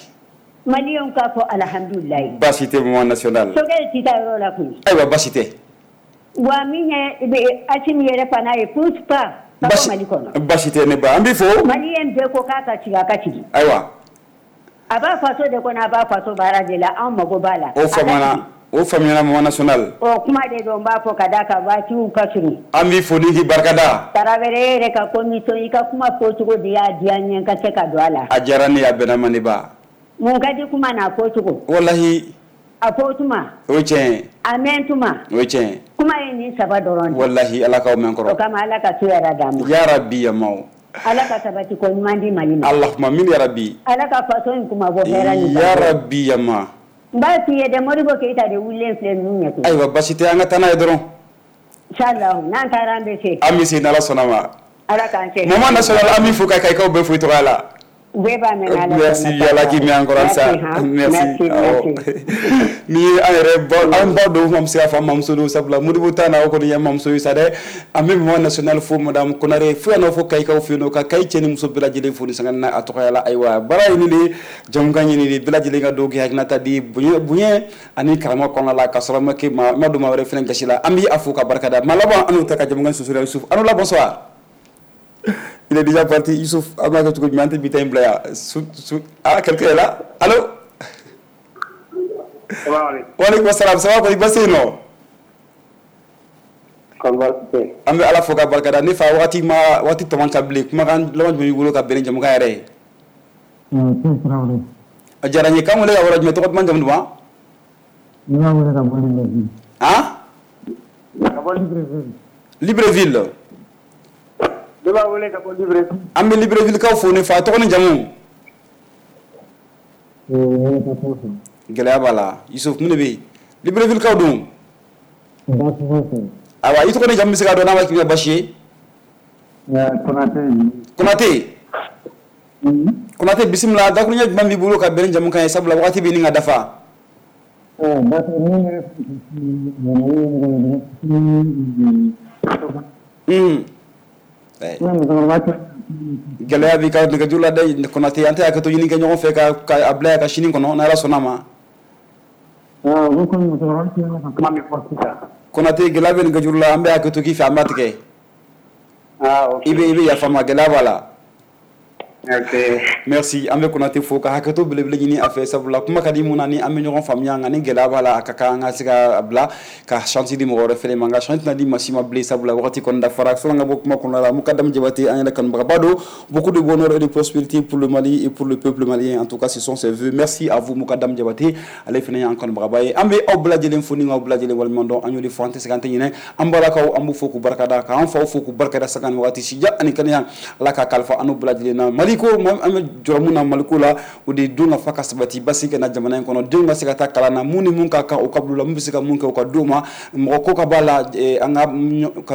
Maliyɛnw k'a fɔ alihamudulilayi. Baasi tɛ maman nationale. Sogɛl tɛ taa yɔrɔ la koyi. Ayiwa baasi tɛ. Wa min ye Asim yɛrɛ fana ye pousse pas. Ka bɔ Mali kɔnɔ. Baasi tɛ ne ba an b'i fo. Maliyɛn bɛɛ ko k'a ka sigi a ka sigi. Ayiwa. A b'a faso de kɔnɔ a b'a faso baara de la anw mago b'a la. O faamuna o faamuyana maman nationale. O kuma de don n b'a fɔ ka d'a kan waatiw ka surun. An b'i fo ni k'i barikada. Tarawele e yɛrɛ ka commission i ka kuma fɔcogo de y'a diya n ye n ka se ka don a la. A diyara ne ye a bɛnna ma ne ba. Mun ka di kuma n'a fɔcogo. Walahi. A fɔ tuma. O ye tiɲɛ ye. A mɛn tuma. O ye tiɲɛ ye. Kuma ye nin saba dɔrɔn de. Walahi Ala k'aw mɛn kɔrɔ. O kama Ala ka so yɛrɛ d'an ma. Yarabi yamaw. Ala ka sabati ko ɲuman di Mali ma. Allahumma amin yarabi. Ala ka faso in kuma bɔ hɛrɛ ni yarabi yama. N b'a f'i ye dɛ Modibo Keyita de wulilen filɛ ninnu ɲɛ koyi. Ayiwa basi tɛ an ka taa n'a ye dɔrɔn. Inchallah n'an taara an bɛ se. An bɛ se n'Ala sɔnna ma. Ala k'an se. Maman nationale an b'i fo ka Kayikaw bɛɛ fo i tɔgɔ la. Bɛɛ b'a mɛn n'Ala sɔnna. Merci Ala k'i mɛn an kɔrɔ halisa. Merci awɔ. Ni ye an yɛrɛ ba an ba don an bɛ se k'a fɔ an mamuso don sabula Modibo ta na o kɔni ye mamuso ye sa dɛ. An bɛ maman nationale fo madame Konare fo yan nɔ fo Kayikaw fɛ yen nɔ ka Kayi cɛ ni muso bɛɛ lajɛlen fo ni sanga na a tɔgɔya la. Ayiwa baara ye nin de ye jamukan ye nin de ye bɛɛ lajɛlen ka don k'i hakilinata di bonya ani karama kɔnɔna la ka sɔrɔ ma kɛ ma don maa wɛrɛ fana gasi la. An bɛ a fo ka barika da maa laban an n'o ta ka jamukan susura Yusuf. An la bonsoir. Il est déjà parti, Youssouf. Ah, quelqu'un est là? Allô? Wa alaikum salam. Ça va, kɔni baasi yen nɔ? An bɛ Ala fo ka barika da. Ne fa waati ma waati tɔ man ca bilen. Kumakan laban jumɛn b'i bolo ka bɛn ni jamukan yɛrɛ ye? A diyara n ye. K'an wele ka yɔrɔ jumɛn? Tɔgɔ duman jamu duman? Ne b'a wele ka bɔ Libreville. Han? Ka bɔ Libreville. Libreville. Ne b'a wele ka bɔ Libreville. An bɛ Libreville kaw fo ne fa. Tɔgɔ ni jamu? Gɛlɛya b'a la. Yusuf mun de bɛ yen? Libreville kaw dun? Ayiwa i tɔgɔ ni jamu bɛ se k'a dɔn n'a ma k'i ma baasi ye? Konate. Konate. Konate bisimila. Dakuruɲɛ jumɛn b'i bolo ka bɛn ni jamukan ye sabula waati bɛ ɲini ka dafa? Gɛlɛya b'i ka nɛgɛjuru la dɛ Konate. An tɛ hakɛto ɲini kɛ ɲɔgɔn fɛ ka a bila yan ka sini kɔnɔ n'Ala sɔnna a ma. Konate gɛlɛya bɛ nɛgɛjuru la an bɛ hakɛto k'i fɛ an b'a tigɛ. I bɛ yafa n ma gɛlɛya b'a la. Merci an bɛ Konate fo ka hakɛto belebele ɲini a fɛ sabula kuma ka di mun na ni an bɛ ɲɔgɔn faamuya nka ni gɛlɛya b'a la a ka kan an ka se ka bila ka chance di mɔgɔ wɛrɛ fɛnɛ ma nka chance tɛna di maa si ma bilen sabula wagati kɔni dafara sɔnni an ka bɔ kuma kɔnɔna la Mukadam Jabate an yɛrɛ kanubagaba don. Beaucoup de bonheur et de prospérité pour le Mali et pour le peuple malien, en tout cas ce sont ses vœux. Merci à vous Mukadam Jabate, ale fɛnɛ y'an kanubagaba ye. An bɛ aw bɛɛ lajɛlen fo ni k'aw bɛɛ lajɛlen waleɲuman dɔn. An y'o de fɔ an tɛ sɛgɛn an tɛ ɲinɛ. An balakaw an b'u fo k'u barikada k'an faw fo k'u barikada sanga ni wagati sija ani kɛnɛya Ala k'a kalifa an n'u bɛɛ lajɛlen na. Mali ko an bɛ jɔrɔ mun na Maliko la o de ye don ka fa ka sabati basi ka na jamana in kɔnɔ, denw ka se ka taa kalan na, mun ni mun ka kan u ka bila u la, mun bɛ se ka mun kɛ u ka d'u ma, mɔgɔ ko ka b'a la, an ka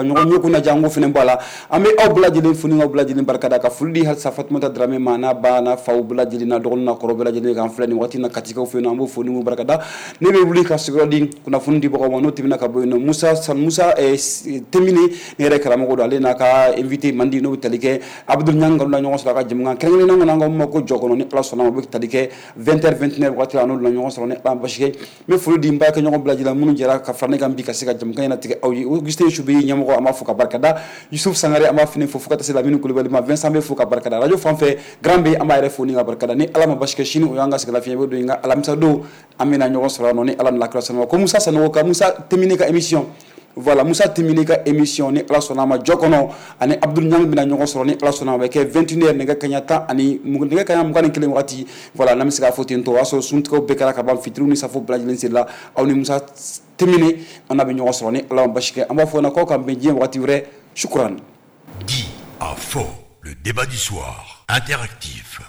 ɲɔgɔn ɲɛ kunna ja an k'o fana bɔ a la. An bɛ aw bɛɛ lajɛlen fo ni k'aw bɛɛ lajɛlen barikada ka foli di halisa Fatumata Darame ma n'a ba n'a faw bɛɛ lajɛlen n'a dɔgɔnin n'a kɔrɔ bɛɛ lajɛlen k'an filɛ nin waati in na Katikaw fɛ yen nɔ, an b'o fo ni k'u barikada. Ne bɛ wuli ka sigiyɔrɔ di kunnafoni dibagaw ma n'o tɛmɛna ka bɔ yen nɔ Musa Temine ne yɛrɛ karamɔgɔ don, ale n'a ka invité mandi n'o bɛ tali kɛ Abdul Ɲang na ɲɔgɔn sɔrɔ a ka jamukan kɛrɛnkɛrɛnnen kɔnɔ an k'o ma ko jɔ kɔnɔ ni Ala sɔnna ma o bɛ tali kɛ 20h29 waati la n'olu na ɲɔgɔn sɔrɔ ni Ala ma basi kɛ. N bɛ foli di n baarakɛɲɔgɔn bɛɛ lajɛlen minnu jɛra ka fara ne kan bi ka se ka jamukan in latigɛ aw ye. Augustin Subeyi ɲɛmɔgɔ an b'a fo ka barikada, Yusuf Sangare an b'a fini fo fo ka taa se Lamini Kulubali ma, Vincent bɛ fo ka barikada, radio fan fɛ Grand B an b'a yɛrɛ fo ni ka barikada. Ni Ala ma basi kɛ sini o y'an ka sɛgɛn lafiɲɛ bɛ don nka alamisa don an bɛna ɲɔgɔn sɔrɔ yan nɔ ni Ala ni lakira sɔnna ma. Ko Musa Sanogo ka Musa Temine ka émission, voilà Musa Temine ka émission ni Ala sɔnna ma jɔ kɔnɔ ani Abdul Ɲang bɛna ɲɔgɔn sɔrɔ ni Ala sɔnna ma, a bɛ kɛ 21h nɛgɛ kanɲɛ 10 ani nɛgɛ kanɲɛ 21 wagati. Voilà n'an bɛ se k'a fɔ ten tɔ o y'a sɔrɔ suntigɛw bɛɛ kɛra ka ban, fitiriw ni safo bɛɛ lajɛlen seli la, aw ni Musa Temine an n'a bɛ ɲɔgɔn sɔrɔ ni Ala ma basi kɛ. An b'a fɔ k'aw k'an bɛn diɲɛ wagati wɛrɛ. Shukran. Dit à fort, le débat du soir interactif.